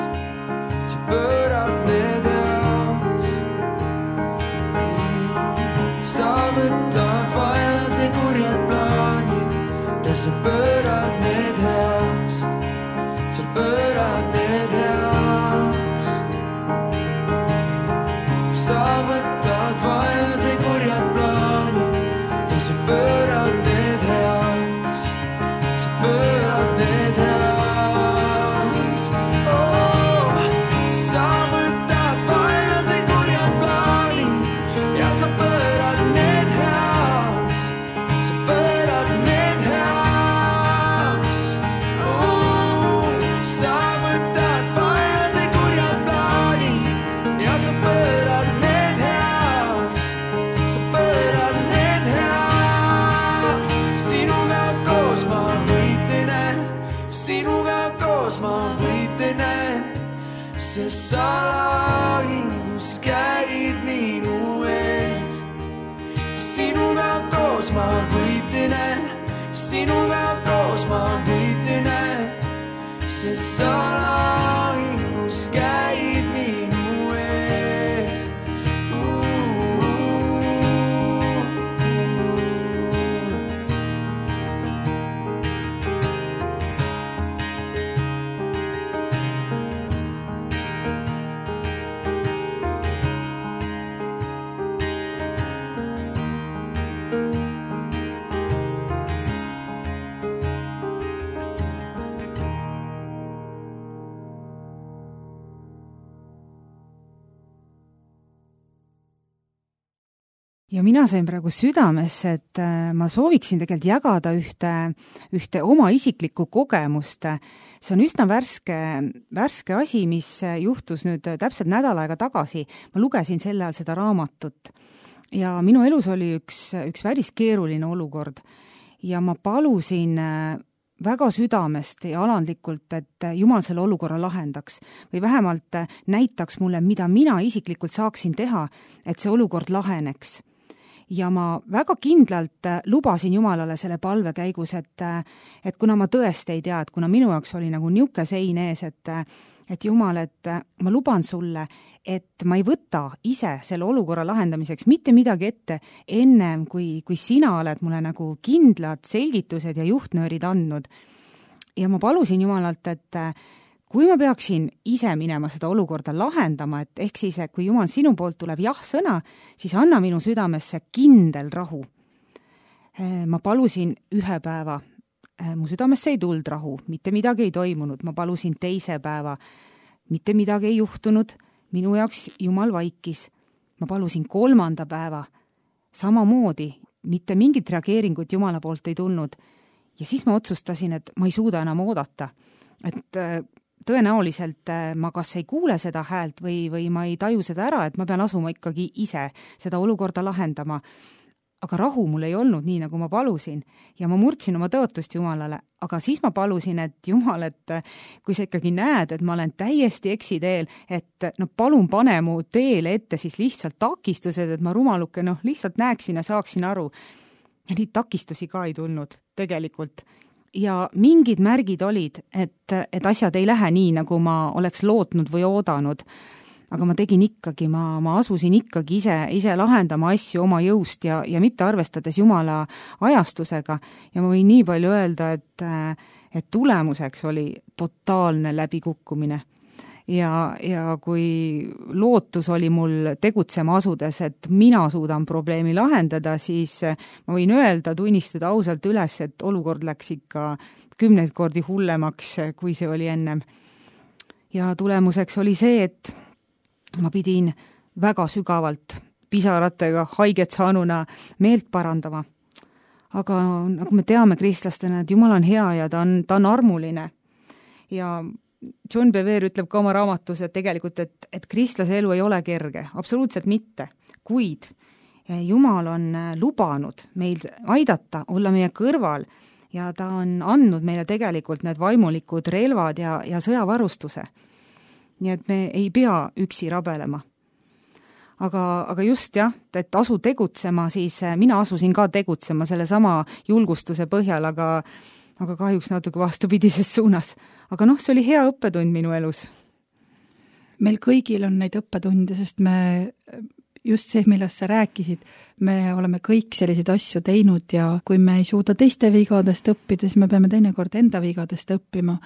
sa pöörad need heaks. Sa võtad vaenlase kurjad plaanid ja sa pöörad need heaks, sa pöörad need heaks. Sa võtad vaenlase kurjad plaanid ja sa pöörad need heaks, sa pöörad need heaks. Oh, sa võtad vaenlase kurjad plaanid ja sa pöörad need heaks, sa pöörad need heaks. Oh, sa võtad vaenlase kurjad plaanid ja sa pöörad need heaks, sa pöörad need heaks. Sinuga koos ma võitlen, sinuga koos ma võitlen, sest salahingus käid minu ees. Sinuga koos ma võitlen, sinuga koos ma võitlen, sest salahingus käid minu ees. ja mina sain praegu südamesse, et ma sooviksin tegelikult jagada ühte, ühte oma isiklikku kogemust. See on üsna värske, värske asi, mis juhtus nüüd täpselt nädal aega tagasi. Ma lugesin selle ajal seda raamatut ja minu elus oli üks, üks päris keeruline olukord ja ma palusin väga südamest ja alandlikult, et Jumal selle olukorra lahendaks või vähemalt näitaks mulle, mida mina isiklikult saaksin teha, et see olukord laheneks. Ja ma väga kindlalt lubasin Jumalale selle palve käigus, et, et kuna ma tõesti ei tea, et kuna minu jaoks oli nagu niuke sein ees, et, et Jumal, et ma luban sulle, et ma ei võta ise selle olukorra lahendamiseks mitte midagi ette ennem, kui, kui sina oled mulle nagu kindlad selgitused ja juhtnöörid andnud. Ja ma palusin Jumalalt, et kui ma peaksin ise minema seda olukorda lahendama, et ehk siis, kui Jumal sinu poolt tuleb jah-sõna, siis anna minu südamesse kindel rahu. Ma palusin ühe päeva, mu südamesse ei tuld rahu, mitte midagi ei toimunud, ma palusin teise päeva, mitte midagi ei juhtunud, minu jaoks Jumal vaikis. Ma palusin kolmanda päeva, samamoodi, mitte mingit reageeringut Jumala poolt ei tulnud. Ja siis ma otsustasin, et ma ei suuda enam oodata. Et tõenäoliselt ma kas ei kuule seda häält või, või ma ei taju seda ära, et ma pean asuma ikkagi ise seda olukorda lahendama. Aga rahu mul ei olnud nii, nagu ma palusin ja ma murdsin oma tõotust Jumalale, aga siis ma palusin, et Jumal, et kui sa ikkagi näed, et ma olen täiesti eksiteel, et no palun pane mu teele ette siis lihtsalt takistused, et ma rumaluke noh, lihtsalt näeksin ja saaksin aru. Ja neid takistusi ka ei tulnud tegelikult. Ja mingid märgid olid, et, et asjad ei lähe nii, nagu ma oleks lootnud või oodanud. Aga ma tegin ikkagi, ma, ma asusin ikkagi ise, ise lahendama asju oma jõust ja, ja mitte arvestades Jumala ajastusega. Ja ma võin nii palju öelda, et, et tulemuseks oli totaalne läbikukkumine. Ja, ja kui lootus oli mul tegutsema asudes, et mina suudan probleemi lahendada, siis ma võin öelda, tunnistada ausalt üles, et olukord läks ikka kümneid kordi hullemaks, kui see oli ennem. Ja tulemuseks oli see, et ma pidin väga sügavalt pisaratega haiget saanuna meelt parandama. Aga nagu me teame kristlastena, et Jumal on hea ja ta on, ta on armuline. Ja John Bevere ütleb ka oma raamatus, et tegelikult, et, et kristlase elu ei ole kerge. Absoluutselt mitte. Kuid Jumal on lubanud meil aidata, olla meie kõrval ja ta on andnud meile tegelikult need vaimulikud relvad ja, ja sõjavarustuse. Nii et me ei pea üksi rabelema. Aga, aga just jah, et asu tegutsema, siis mina asusin ka tegutsema selle sama julgustuse põhjal, aga, aga kahjuks natuke vastupidises suunas. Aga noh, see oli hea õppetund minu elus. Meil kõigil on neid õppetunde, sest me just see, millest sa rääkisid, me oleme kõik selliseid asju teinud ja kui me ei suuda teiste vigadest õppida, siis me peame teinekord enda vigadest õppima.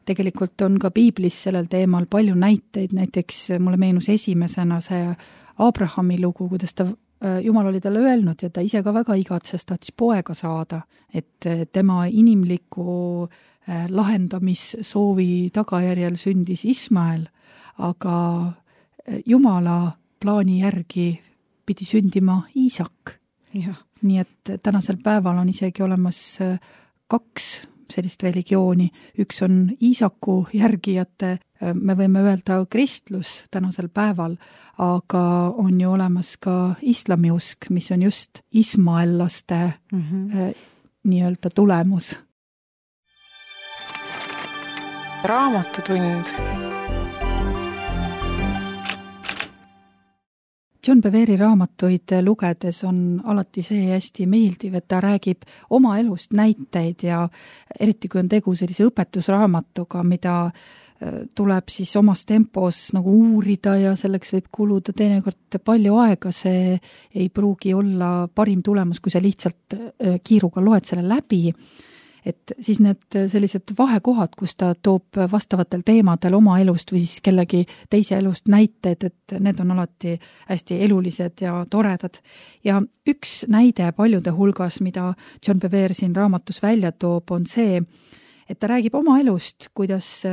Tegelikult on ka piiblis sellel teemal palju näiteid, näiteks mulle meenus esimesena see Abrahami lugu, kuidas ta, Jumal oli talle öelnud ja ta ise ka väga igatses, tahtis poega saada, et tema inimliku lahendamissoovi tagajärjel sündis Ismael, aga Jumala plaani järgi pidi sündima Iisak. Ja. Nii et tänasel päeval on isegi olemas kaks sellist religiooni. Üks on Iisaku järgijate, me võime öelda kristlus tänasel päeval, aga on ju olemas ka islamiusk, mis on just ismaellaste mm-hmm. nii-öelda tulemus. Raamatutund. John Beveri raamatuid lugedes on alati see hästi meeldiv, et ta räägib oma elust näiteid ja eriti kui on tegu sellise õpetusraamatuga, mida tuleb siis omas tempos nagu uurida ja selleks võib kuluda teinekord palju aega, see ei pruugi olla parim tulemus, kui sa lihtsalt kiiruga loed selle läbi. Et siis need sellised vahekohad, kus ta toob vastavatel teemadel oma elust või siis kellegi teise elust näited, et need on alati hästi elulised ja toredad. Ja üks näide paljude hulgas, mida John Bevere siin raamatus välja toob, on see, et ta räägib oma elust, kuidas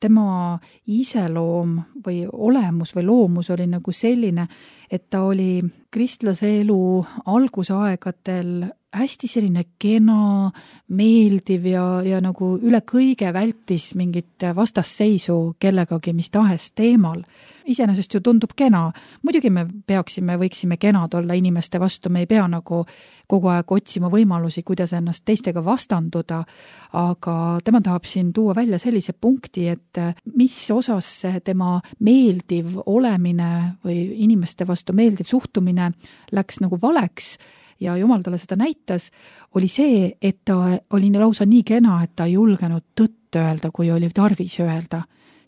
tema iseloom või olemus või loomus oli nagu selline, et ta oli kristlase elu algusaegadel hästi selline kena, meeldiv ja, ja nagu üle kõige vältis mingit vastasseisu kellegagi mis tahes teemal. Iseenesest ju tundub kena. Muidugi me peaksime, võiksime kenad olla inimeste vastu, me ei pea nagu kogu aeg otsima võimalusi, kuidas ennast teistega vastanduda, aga tema tahab siin tuua välja sellise punkti, et mis osas see tema meeldiv olemine või inimeste vastu meeldiv suhtumine läks nagu valeks, ja Jumal talle seda näitas, oli see, et ta oli lausa nii kena, et ta ei julgenud tõtt öelda, kui oli tarvis öelda.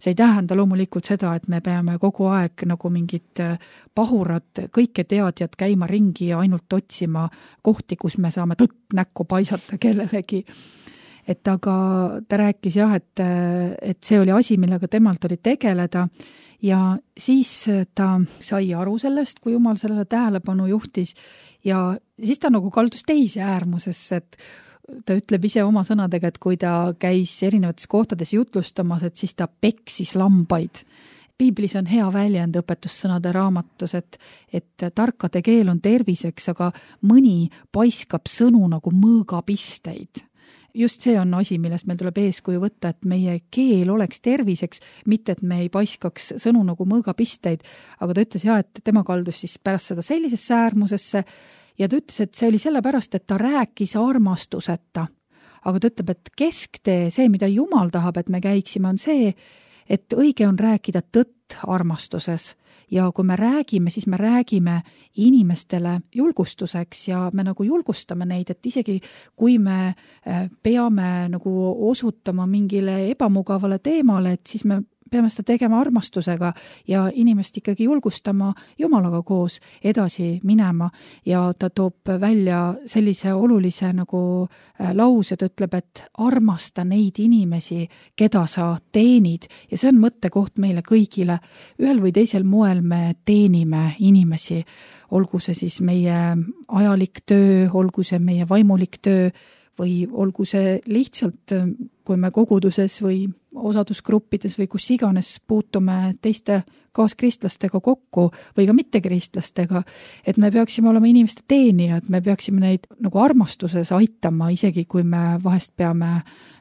see ei tähenda loomulikult seda, et me peame kogu aeg nagu mingid pahurad, kõike teadjad käima ringi ja ainult otsima kohti, kus me saame tõtt näkku paisata kellelegi. Et aga ta rääkis jah, et, et see oli asi, millega temalt oli tegeleda ja siis ta sai aru sellest, kui Jumal sellele tähelepanu juhtis ja siis ta nagu kaldus teise äärmusesse, et ta ütleb ise oma sõnadega, et kui ta käis erinevates kohtades jutlustamas, et siis ta peksis lambaid. Piiblis on hea väljend õpetussõnade raamatus, et, et tarkade keel on terviseks, aga mõni paiskab sõnu nagu mõõgapisteid. Just see on asi, millest meil tuleb eeskuju võtta, et meie keel oleks terviseks, mitte et me ei paiskaks sõnu nagu mõõgapisteid, aga ta ütles jah, et tema kaldus siis pärast seda sellisesse äärmusesse ja ta ütles, et see oli sellepärast, et ta rääkis armastuseta. Aga ta ütleb, et kesktee, see, mida Jumal tahab, et me käiksime, on see, et õige on rääkida tõtt armastuses. Ja kui me räägime, siis me räägime inimestele julgustuseks ja me nagu julgustame neid, et isegi kui me peame nagu osutama mingile ebamugavale teemale, et siis me peame seda tegema armastusega ja inimest ikkagi julgustama Jumalaga koos edasi minema ja ta toob välja sellise olulise nagu lause, ta ütleb, et armasta neid inimesi, keda sa teenid ja see on mõttekoht meile kõigile. Ühel või teisel moel me teenime inimesi, olgu see siis meie ajalik töö, olgu see meie vaimulik töö või olgu see lihtsalt, kui me koguduses või osadusgruppides või kus iganes puutume teiste kaaskristlastega kokku või ka mittekristlastega, et me peaksime olema inimeste teenijad, me peaksime neid nagu armastuses aitama, isegi kui me vahest peame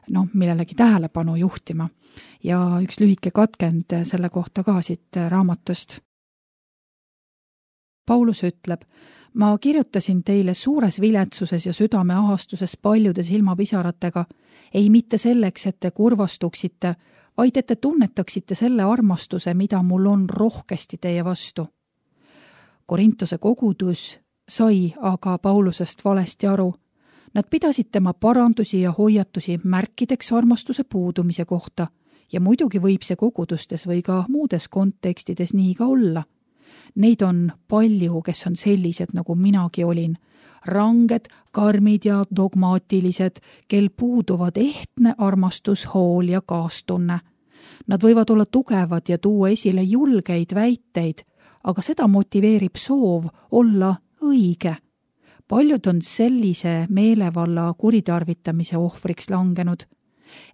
no, millelegi tähelepanu juhtima. Ja üks lühike katkend selle kohta ka siit raamatust. Paulus ütleb, ma kirjutasin teile suures viletsuses ja südame ahastuses paljude silmapisaratega, ei mitte selleks, et te kurvastuksite, vaid et te tunnetaksite selle armastuse, mida mul on rohkesti teie vastu. Korintuse kogudus sai aga Paulusest valesti aru. Nad pidasid tema parandusi ja hoiatusi märkideks armastuse puudumise kohta ja muidugi võib see kogudustes või ka muudes kontekstides nii ka olla. Neid on palju, kes on sellised, nagu minagi olin. Ranged, karmid ja dogmaatilised, kel puuduvad ehtne armastus, hool ja kaastunne. Nad võivad olla tugevad ja tuua esile julgeid väiteid, aga seda motiveerib soov olla õige. Paljud on sellise meelevalla kuritarvitamise ohvriks langenud.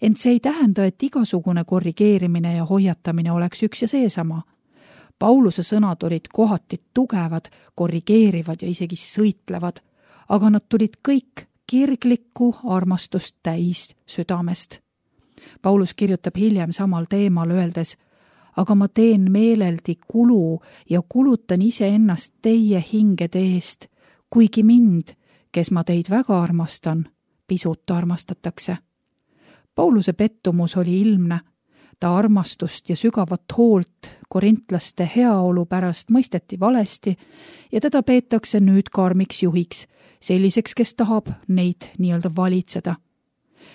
Ent see ei tähenda, et igasugune korrigeerimine ja hoiatamine oleks üks ja seesama. Pauluse sõnad olid kohati tugevad, korrigeerivad ja isegi sõitlevad, aga nad tulid kõik kirglikku armastust täis südamest. Paulus kirjutab hiljem samal teemal öeldes, aga ma teen meeleldi kulu ja kulutan iseennast teie hingede eest, kuigi mind, kes ma teid väga armastan, pisut armastatakse. Pauluse pettumus oli ilmne. Ta armastust ja sügavat hoolt korintlaste heaolu pärast mõisteti valesti ja teda peetakse nüüd karmiks juhiks, selliseks, kes tahab neid nii-öelda valitseda.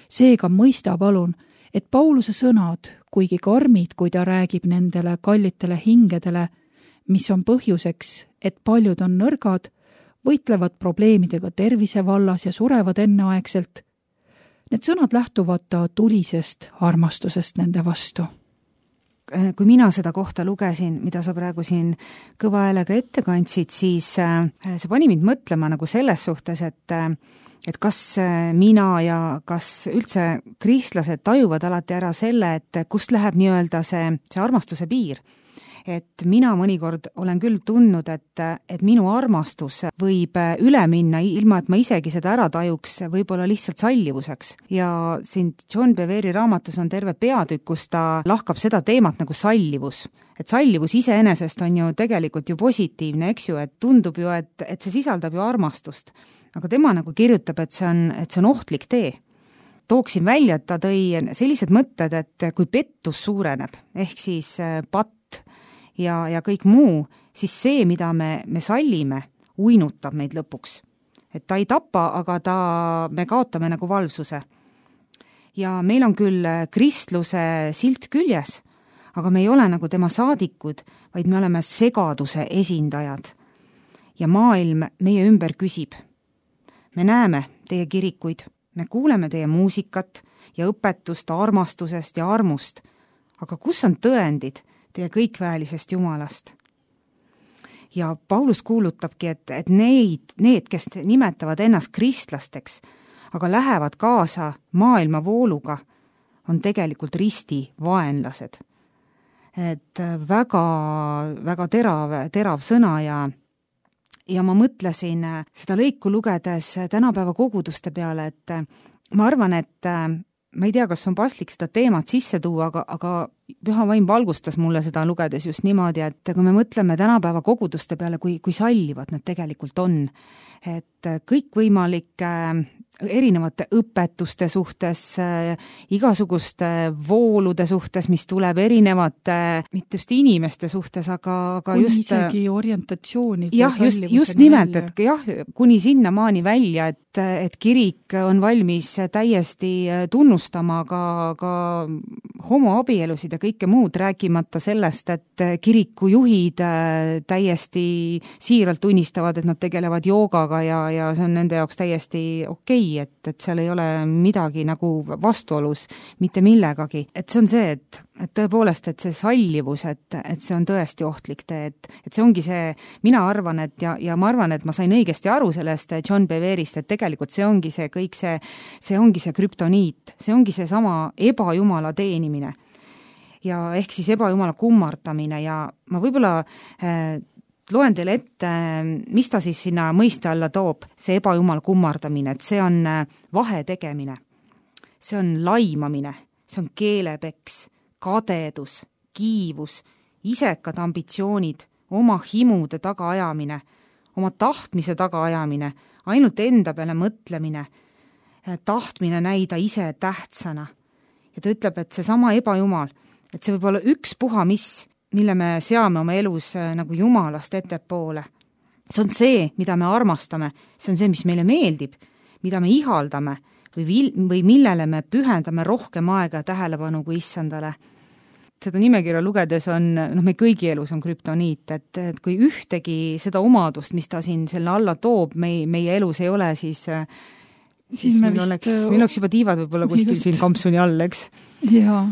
Seega mõista palun, et Pauluse sõnad, kuigi karmid, kui ta räägib nendele kallitele hingedele, mis on põhjuseks, et paljud on nõrgad, võitlevad probleemidega tervise vallas ja surevad enneaegselt, need sõnad lähtuvad ta tulisest armastusest nende vastu. Kui mina seda kohta lugesin, mida sa praegu siin kõva häälega ette kandsid, siis see pani mind mõtlema nagu selles suhtes, et, et kas mina ja kas üldse kristlased tajuvad alati ära selle, et kust läheb nii-öelda see, see armastuse piir. Et mina mõnikord olen küll tundnud, et, et minu armastus võib üle minna, ilma et ma isegi seda ära tajuks, võib-olla lihtsalt sallivuseks. Ja siin John Beveri raamatus on terve peatükk, kus ta lahkab seda teemat nagu sallivus. Et sallivus iseenesest on ju tegelikult ju positiivne, eks ju, et tundub ju, et, et see sisaldab ju armastust. Aga tema nagu kirjutab, et see on, et see on ohtlik tee. Tooksin välja, et ta tõi sellised mõtted, et kui pettus suureneb, ehk siis patt, ja, ja kõik muu, siis see, mida me, me sallime, uinutab meid lõpuks. Et ta ei tapa, aga ta, me kaotame nagu valvsuse. Ja meil on küll kristluse silt küljes, aga me ei ole nagu tema saadikud, vaid me oleme segaduse esindajad. Ja maailm meie ümber küsib. Me näeme teie kirikuid, me kuuleme teie muusikat ja õpetust armastusest ja armust, aga kus on tõendid teie kõikväelisest Jumalast? Ja Paulus kuulutabki, et, et neid, need, kes nimetavad ennast kristlasteks, aga lähevad kaasa maailma vooluga, on tegelikult risti vaenlased. Et väga, väga terav, terav sõna ja ja ma mõtlesin seda lõiku lugedes tänapäeva koguduste peale, et ma arvan, et ma ei tea, kas on paslik seda teemat sisse tuua, aga, aga Püha Vaim valgustas mulle seda lugedes just niimoodi, et kui me mõtleme tänapäeva koguduste peale, kui, kui sallivad nad tegelikult on, et kõikvõimalike erinevate õpetuste suhtes, igasuguste voolude suhtes, mis tuleb erinevate, mitte just inimeste suhtes, aga, aga kuni just isegi orientatsioonid. Jah, just, just nimelt, et jah, kuni sinna maani välja, et, et kirik on valmis täiesti tunnustama ka, ka homoabielusid ja kõike muud, rääkimata sellest, et kirikujuhid täiesti siiralt tunnistavad, et nad tegelevad joogaga ja, ja see on nende jaoks täiesti okei, et, et seal ei ole midagi nagu vastuolus mitte millegagi. Et see on see, et, et tõepoolest, et see sallivus, et, et see on tõesti ohtlik tee, et, et see ongi see, mina arvan, et ja, ja ma arvan, et ma sain õigesti aru sellest John Beverist, et tegelikult see ongi see kõik see, see ongi see krüptoniit, see ongi see sama ebajumala teenimine. Ja ehk siis ebajumala kummardamine ja ma võib-olla äh, loen teile ette, mis ta siis sinna mõiste alla toob, see ebajumala kummardamine, et see on vahe tegemine, see on laimamine, see on keelepeks, kadedus, kiivus, isekad ambitsioonid, oma himude tagaajamine, oma tahtmise tagaajamine, ainult enda peale mõtlemine, tahtmine näida ise tähtsana. Ja ta ütleb, et see sama ebajumal, et see võib olla üks puha mis, mille me seame oma elus nagu Jumalast ettepoole. See on see, mida me armastame, see on see, mis meile meeldib, mida me ihaldame või, vil- või millele me pühendame rohkem aega ja tähelepanu kui issandale. Seda nimekirja lugedes on, noh, me kõigi elus on krüptoniit, et, et kui ühtegi seda omadust, mis ta siin selle alla toob, meie, meie elus ei ole, siis, siis, siis meil, vist, oleks, meil oleks juba tiivad võib-olla kuskil just siin kampsuni all, eks? Jaa.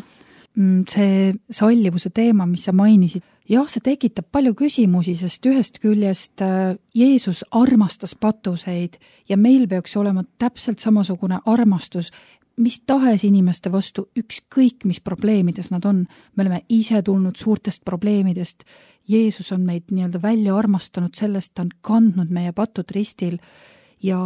See sallivuse teema, mis sa mainisid, jah, see tekitab palju küsimusi, sest ühest küljest Jeesus armastas patuseid ja meil peaks olema täpselt samasugune armastus, mis tahes inimeste vastu, ükskõik mis probleemides nad on. Me oleme ise tulnud suurtest probleemidest. Jeesus on meid nii-öelda välja armastanud sellest, ta on kandnud meie patud ristil ja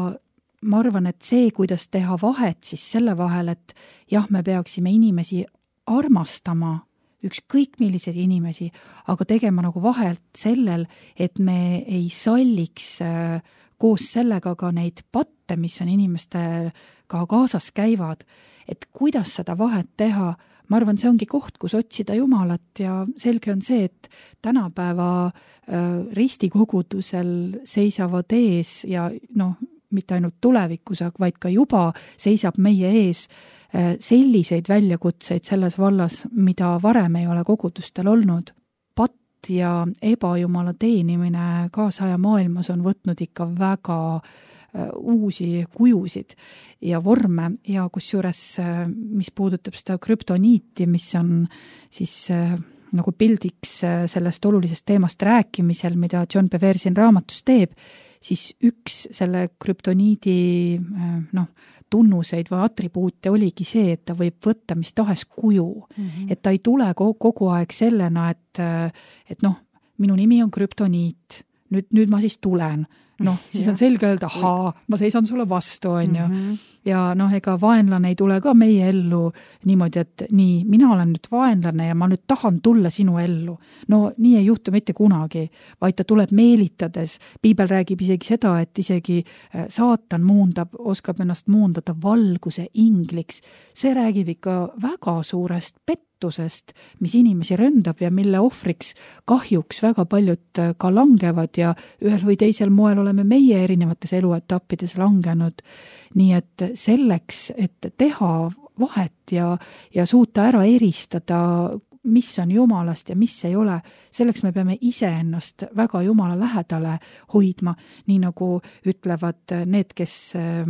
ma arvan, et see, kuidas teha vahet siis selle vahel, et jah, me peaksime inimesi armastama, ükskõik milliseid inimesi, aga tegema nagu vahelt sellel, et me ei salliks äh, koos sellega ka neid patte, mis on inimestega kaasas käivad, et kuidas seda vahet teha. Ma arvan, see ongi koht, kus otsida Jumalat ja selge on see, et tänapäeva äh, ristikogudusel seisavad ees ja noh, mitte ainult tulevikus, vaid ka juba seisab meie ees selliseid väljakutseid selles vallas, mida varem ei ole kogudustel olnud. Patt ja ebajumala teenimine kaasaja maailmas on võtnud ikka väga uusi kujusid ja vorme ja kusjuures, mis puudutab seda krüptoniiti, mis on siis nagu pildiks sellest olulisest teemast rääkimisel, mida John Bever siin raamatus teeb, siis üks selle krüptoniidi noh, tunnuseid või atribuute oligi see, et ta võib võtta mis tahes kuju. Mm-hmm. Et ta ei tule kogu aeg sellena, et, et noh, minu nimi on krüptoniit, nüüd, nüüd ma siis tulen. Noh, siis on selge öelda, ahaa, ma seisan sulle vastu, on ju. Mm-hmm. Ja noh, ega vaenlane ei tule ka meie ellu niimoodi, et nii, mina olen nüüd vaenlane ja ma nüüd tahan tulla sinu ellu. No nii ei juhtu mitte kunagi, vaid ta tuleb meelitades. Piibel räägib isegi seda, et isegi saatan muundab, oskab ennast muundada valguse ingliks. See räägib ikka väga suurest pettusest, mis inimesi röndab ja mille ohvriks kahjuks väga paljud ka langevad ja ühel või teisel moel oleme meie erinevates eluetappides langenud. Nii et selleks, et teha vahet ja, ja suuta ära eristada mis on Jumalast ja mis ei ole, selleks me peame iseennast väga Jumala lähedale hoidma, nii nagu ütlevad need, kes äh,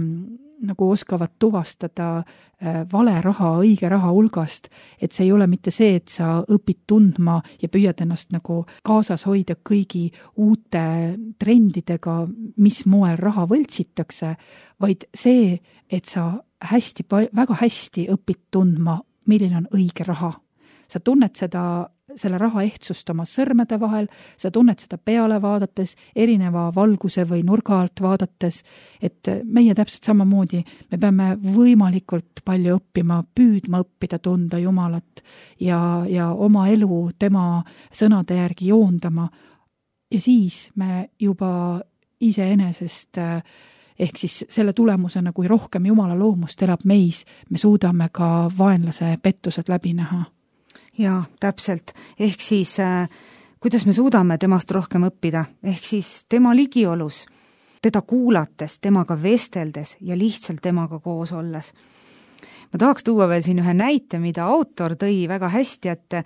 nagu oskavad tuvastada äh, vale raha õige raha hulgast, et see ei ole mitte see, et sa õpid tundma ja püüad ennast nagu kaasas hoida kõigi uute trendidega, mis moel raha võltsitakse, vaid see, et sa hästi, väga hästi õpid tundma, milline on õige raha. Sa tunned seda, selle raha ehtsust oma sõrmede vahel, sa tunned seda peale vaadates, erineva valguse või nurga alt vaadates, et meie täpselt samamoodi, me peame võimalikult palju õppima, püüdma õppida tunda Jumalat ja, ja oma elu tema sõnade järgi joondama. Ja siis me juba iseenesest ehk siis selle tulemusena, kui rohkem Jumala loomust elab meis, me suudame ka vaenlase pettused läbi näha. Jaa, täpselt. Ehk siis, äh, kuidas me suudame temast rohkem õppida, ehk siis tema ligiolus, teda kuulates, temaga vesteldes ja lihtsalt temaga koos olles. Ma tahaks tuua veel siin ühe näite, mida autor tõi väga hästi, et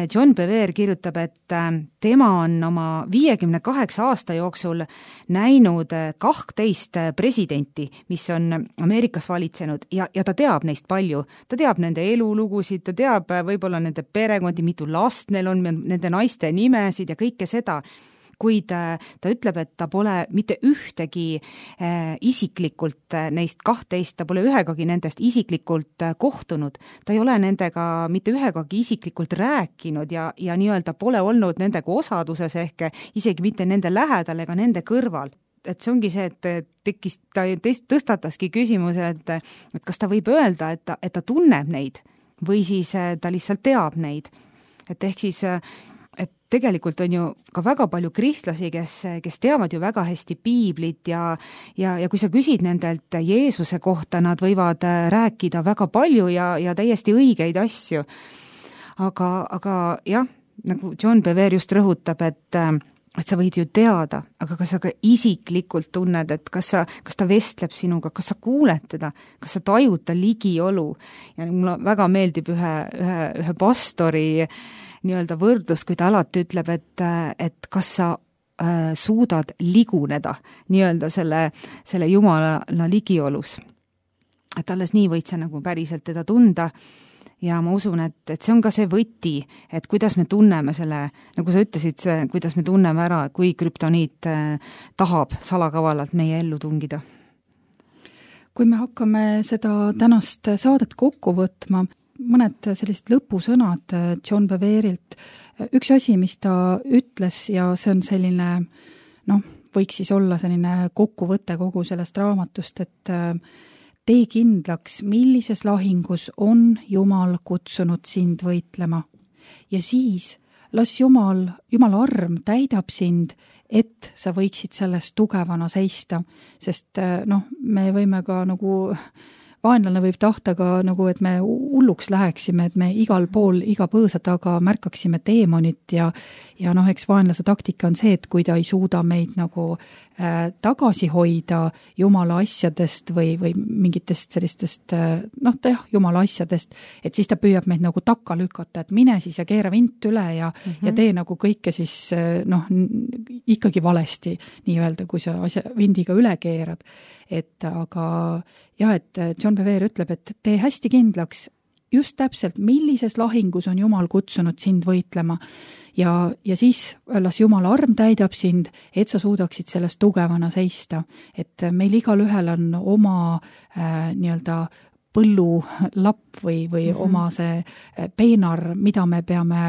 John Bevere kirjutab, et tema on oma viiekümne kaheksa aasta jooksul näinud kahtteist presidenti, mis on Ameerikas valitsenud ja, ja ta teab neist palju. Ta teab nende elulugusid, ta teab võib-olla nende perekondi, mitu last neil on, nende naiste nimesid ja kõike seda. Kuid ta ütleb, et ta pole mitte ühtegi äh, isiklikult neist kahtteist, ta pole ühegagi nendest isiklikult kohtunud. Ta ei ole nendega mitte ühegagi isiklikult rääkinud ja, ja nii-öelda pole olnud nendega osaduses ehk isegi mitte nende lähedal ega nende kõrval. Et see ongi see, et tekkis, ta tõstataski küsimuse, et, et kas ta võib öelda, et ta, et ta tunneb neid või siis ta lihtsalt teab neid. Et ehk siis et tegelikult on ju ka väga palju kristlasi, kes, kes teavad ju väga hästi piiblit ja, ja, ja kui sa küsid nendelt Jeesuse kohta, nad võivad rääkida väga palju ja, ja täiesti õigeid asju. Aga, aga jah, nagu John Bevere just rõhutab, et, et sa võid ju teada, aga kas sa ka isiklikult tunned, et kas, sa, kas ta vestleb sinuga, kas sa kuuled teda, kas sa tajud ta ligiolu. Ja mulle väga meeldib ühe, ühe, ühe pastori nii-öelda võrdlus, kui ta alati ütleb, et, et kas sa äh, suudad liguneda nii-öelda selle, selle Jumala ligiolus. Et alles nii võid sa nagu päriselt teda tunda ja ma usun, et, et see on ka see võti, et kuidas me tunneme selle, nagu sa ütlesid, see, kuidas me tunneme ära, kui krüptoniit äh, tahab salakavalalt meie ellu tungida. Kui me hakkame seda tänast saadet kokku võtma, mõned sellised lõpusõnad John Beverilt. Üks asi, mis ta ütles ja see on selline, noh, võiks siis olla selline kokkuvõte kogu sellest raamatust, et tee kindlaks, millises lahingus on Jumal kutsunud sind võitlema. Ja siis las Jumal, Jumala arm täidab sind, et sa võiksid sellest tugevana seista, sest noh, me võime ka nagu vaenlane võib tahta ka nagu, et me hulluks läheksime, et me igal pool, iga põõsa taga märkaksime teemonit ja, ja noh, eks vaenlase taktika on see, et kui ta ei suuda meid nagu äh, tagasi hoida Jumala asjadest või, või mingitest sellistest, äh, noh, ta jah, Jumala asjadest, et siis ta püüab meid nagu takka lükata, et mine siis ja keera vint üle ja, mm -hmm. ja tee nagu kõike siis äh, noh, ikkagi valesti nii-öelda, kui sa asja vindiga üle keerad. Et aga jah, et John Bevere ütleb, et tee hästi kindlaks just täpselt, millises lahingus on Jumal kutsunud sind võitlema ja, ja siis las Jumala arm täidab sind, et sa suudaksid sellest tugevana seista. Et meil igal ühel on oma äh, nii-öelda põllulapp või, või mm-hmm. oma see peenar, mida me peame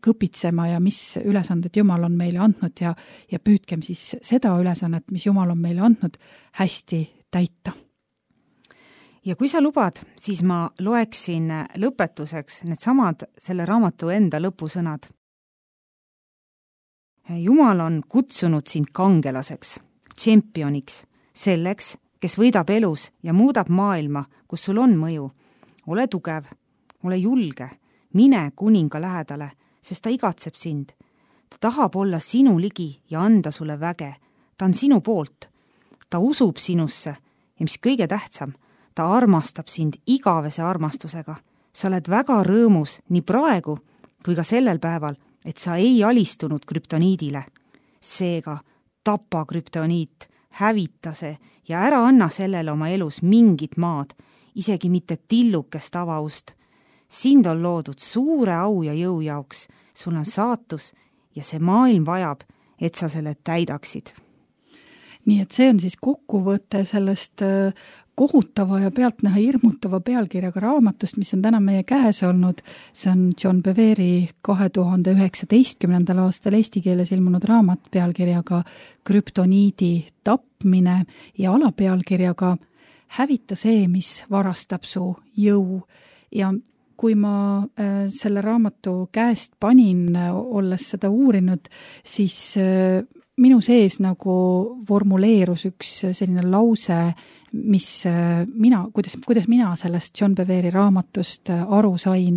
kõpitsema ja mis ülesanded Jumal on meile andnud ja, ja püüdkem siis seda ülesannet, mis Jumal on meile andnud, hästi täita. Ja kui sa lubad, siis ma loeksin lõpetuseks need samad selle raamatu enda lõpusõnad. Jumal on kutsunud sind kangelaseks, tšempioniks, selleks, kes võidab elus ja muudab maailma, kus sul on mõju. Ole tugev, ole julge, mine kuninga lähedale, sest ta igatseb sind. Ta tahab olla sinu ligi ja anda sulle väge. Ta on sinu poolt. Ta usub sinusse ja mis kõige tähtsam, ta armastab sind igavese armastusega. Sa oled väga rõõmus nii praegu kui ka sellel päeval, et sa ei alistunud krüptoniidile. Seega tapa krüptoniit, hävita see ja ära anna sellele oma elus mingit maad, isegi mitte tillukest avaust. Sind on loodud suure au ja jõu jaoks, sul on saatus ja see maailm vajab, et sa selle täidaksid. Nii et see on siis kokkuvõte sellest kohutava ja pealtnäha hirmutava pealkirjaga raamatust, mis on täna meie käes olnud. See on John Bevere kahe tuhande üheksateistkümnendal aastal eesti keeles ilmunud raamat pealkirjaga Krüptoniidi tapmine ja alapealkirjaga Hävita see, mis varastab su jõu. Ja kui ma selle raamatu käest panin, olles seda uurinud, siis minu sees nagu formuleerus üks selline lause, mis mina, kuidas, kuidas mina sellest John Bevere raamatust aru sain,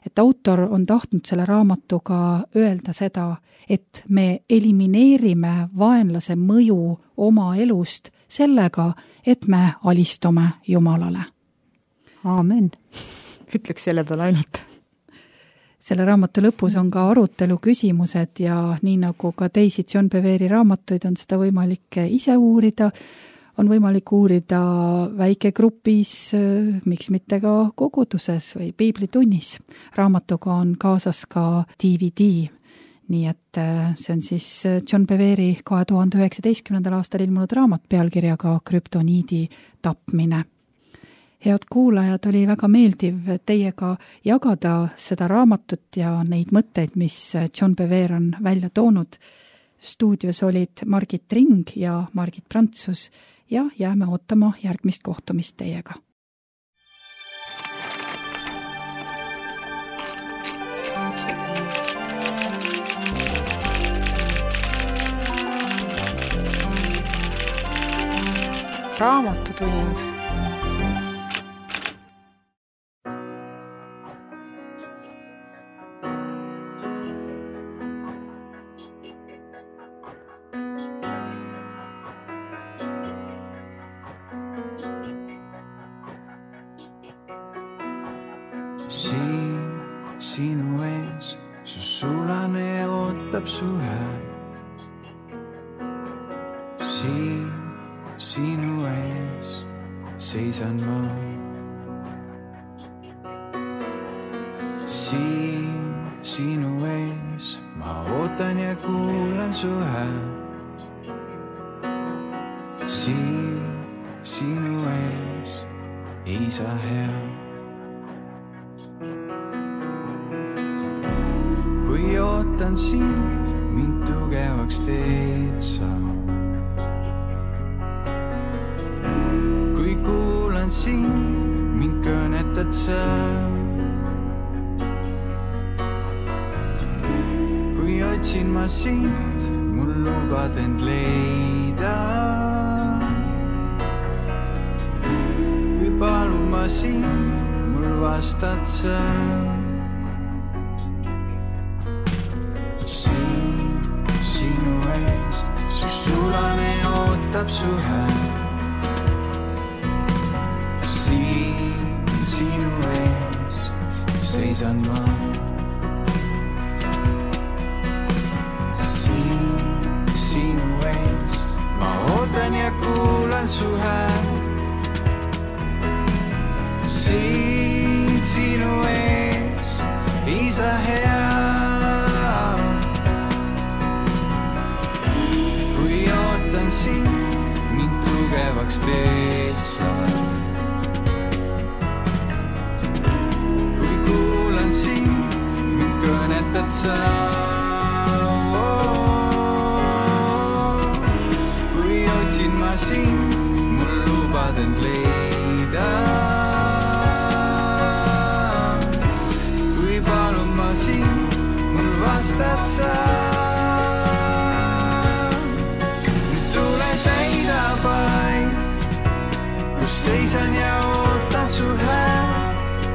et autor on tahtnud selle raamatuga öelda seda, et me elimineerime vaenlase mõju oma elust sellega, et me alistume Jumalale. Aamen. Ütleks selle peale ainult. Selle raamatu lõpus on ka arutelu küsimused ja nii nagu ka teisi John Bevere raamatuid on seda võimalik ise uurida, on võimalik uurida väikegrupis, miks mitte ka koguduses või piiblitunnis. Raamatuga on kaasas ka D V D, nii et see on siis John Bevere kahe tuhande üheksateistkümnendal aastal ilmunud raamat pealkirjaga Krüptoniidi tapmine. Head kuulajad, oli väga meeldiv teiega jagada seda raamatut ja neid mõtteid, mis John Bevere on välja toonud. Stuudios olid Margit Ring ja Margit Prantsus ja jääme ootama järgmist kohtumist teiega. Raamatutund. Siin sinu ees, su sulane ootab su häält. Siin sinu ees seisan ma. Siin sinu ees ma ootan ja kuulan su häält. Siin sinu ees Isa hea. Kui ootan sind, mind tugevaks teed sa. Kui kuulan sind, mind kõnetad sa. Kui otsin ma sind, mul lubad end leida. Kui palun ma sind, mul vastad sa. Siin sinu ees, su sulane ootab su häält. Siin sinu ees seisan ma. Siin sinu ees ma ootan ja kuulan su häält. Siin sinu ees Isa hea. Sind, mind tugevaks teed sa. Kui kuulan sind, mind kõnetad sa. Kui otsin ma sind, mul lubad end leida. Kui palun ma sind, mul vastad sa. Seisan ja ootan su häält.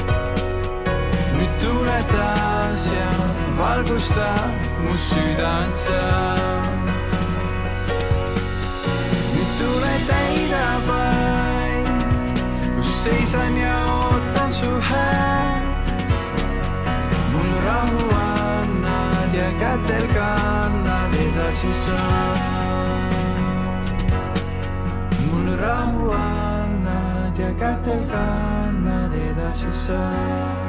Nüüd tule taas ja valgusta mu südant sa. Nüüd tule täida paik, kus seisan ja ootan su häält. Mul rahu edasi saad. Mul rahu annad ja kätel kannad edasi saad.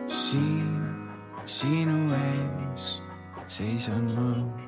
Siin sinu ees seisan ma.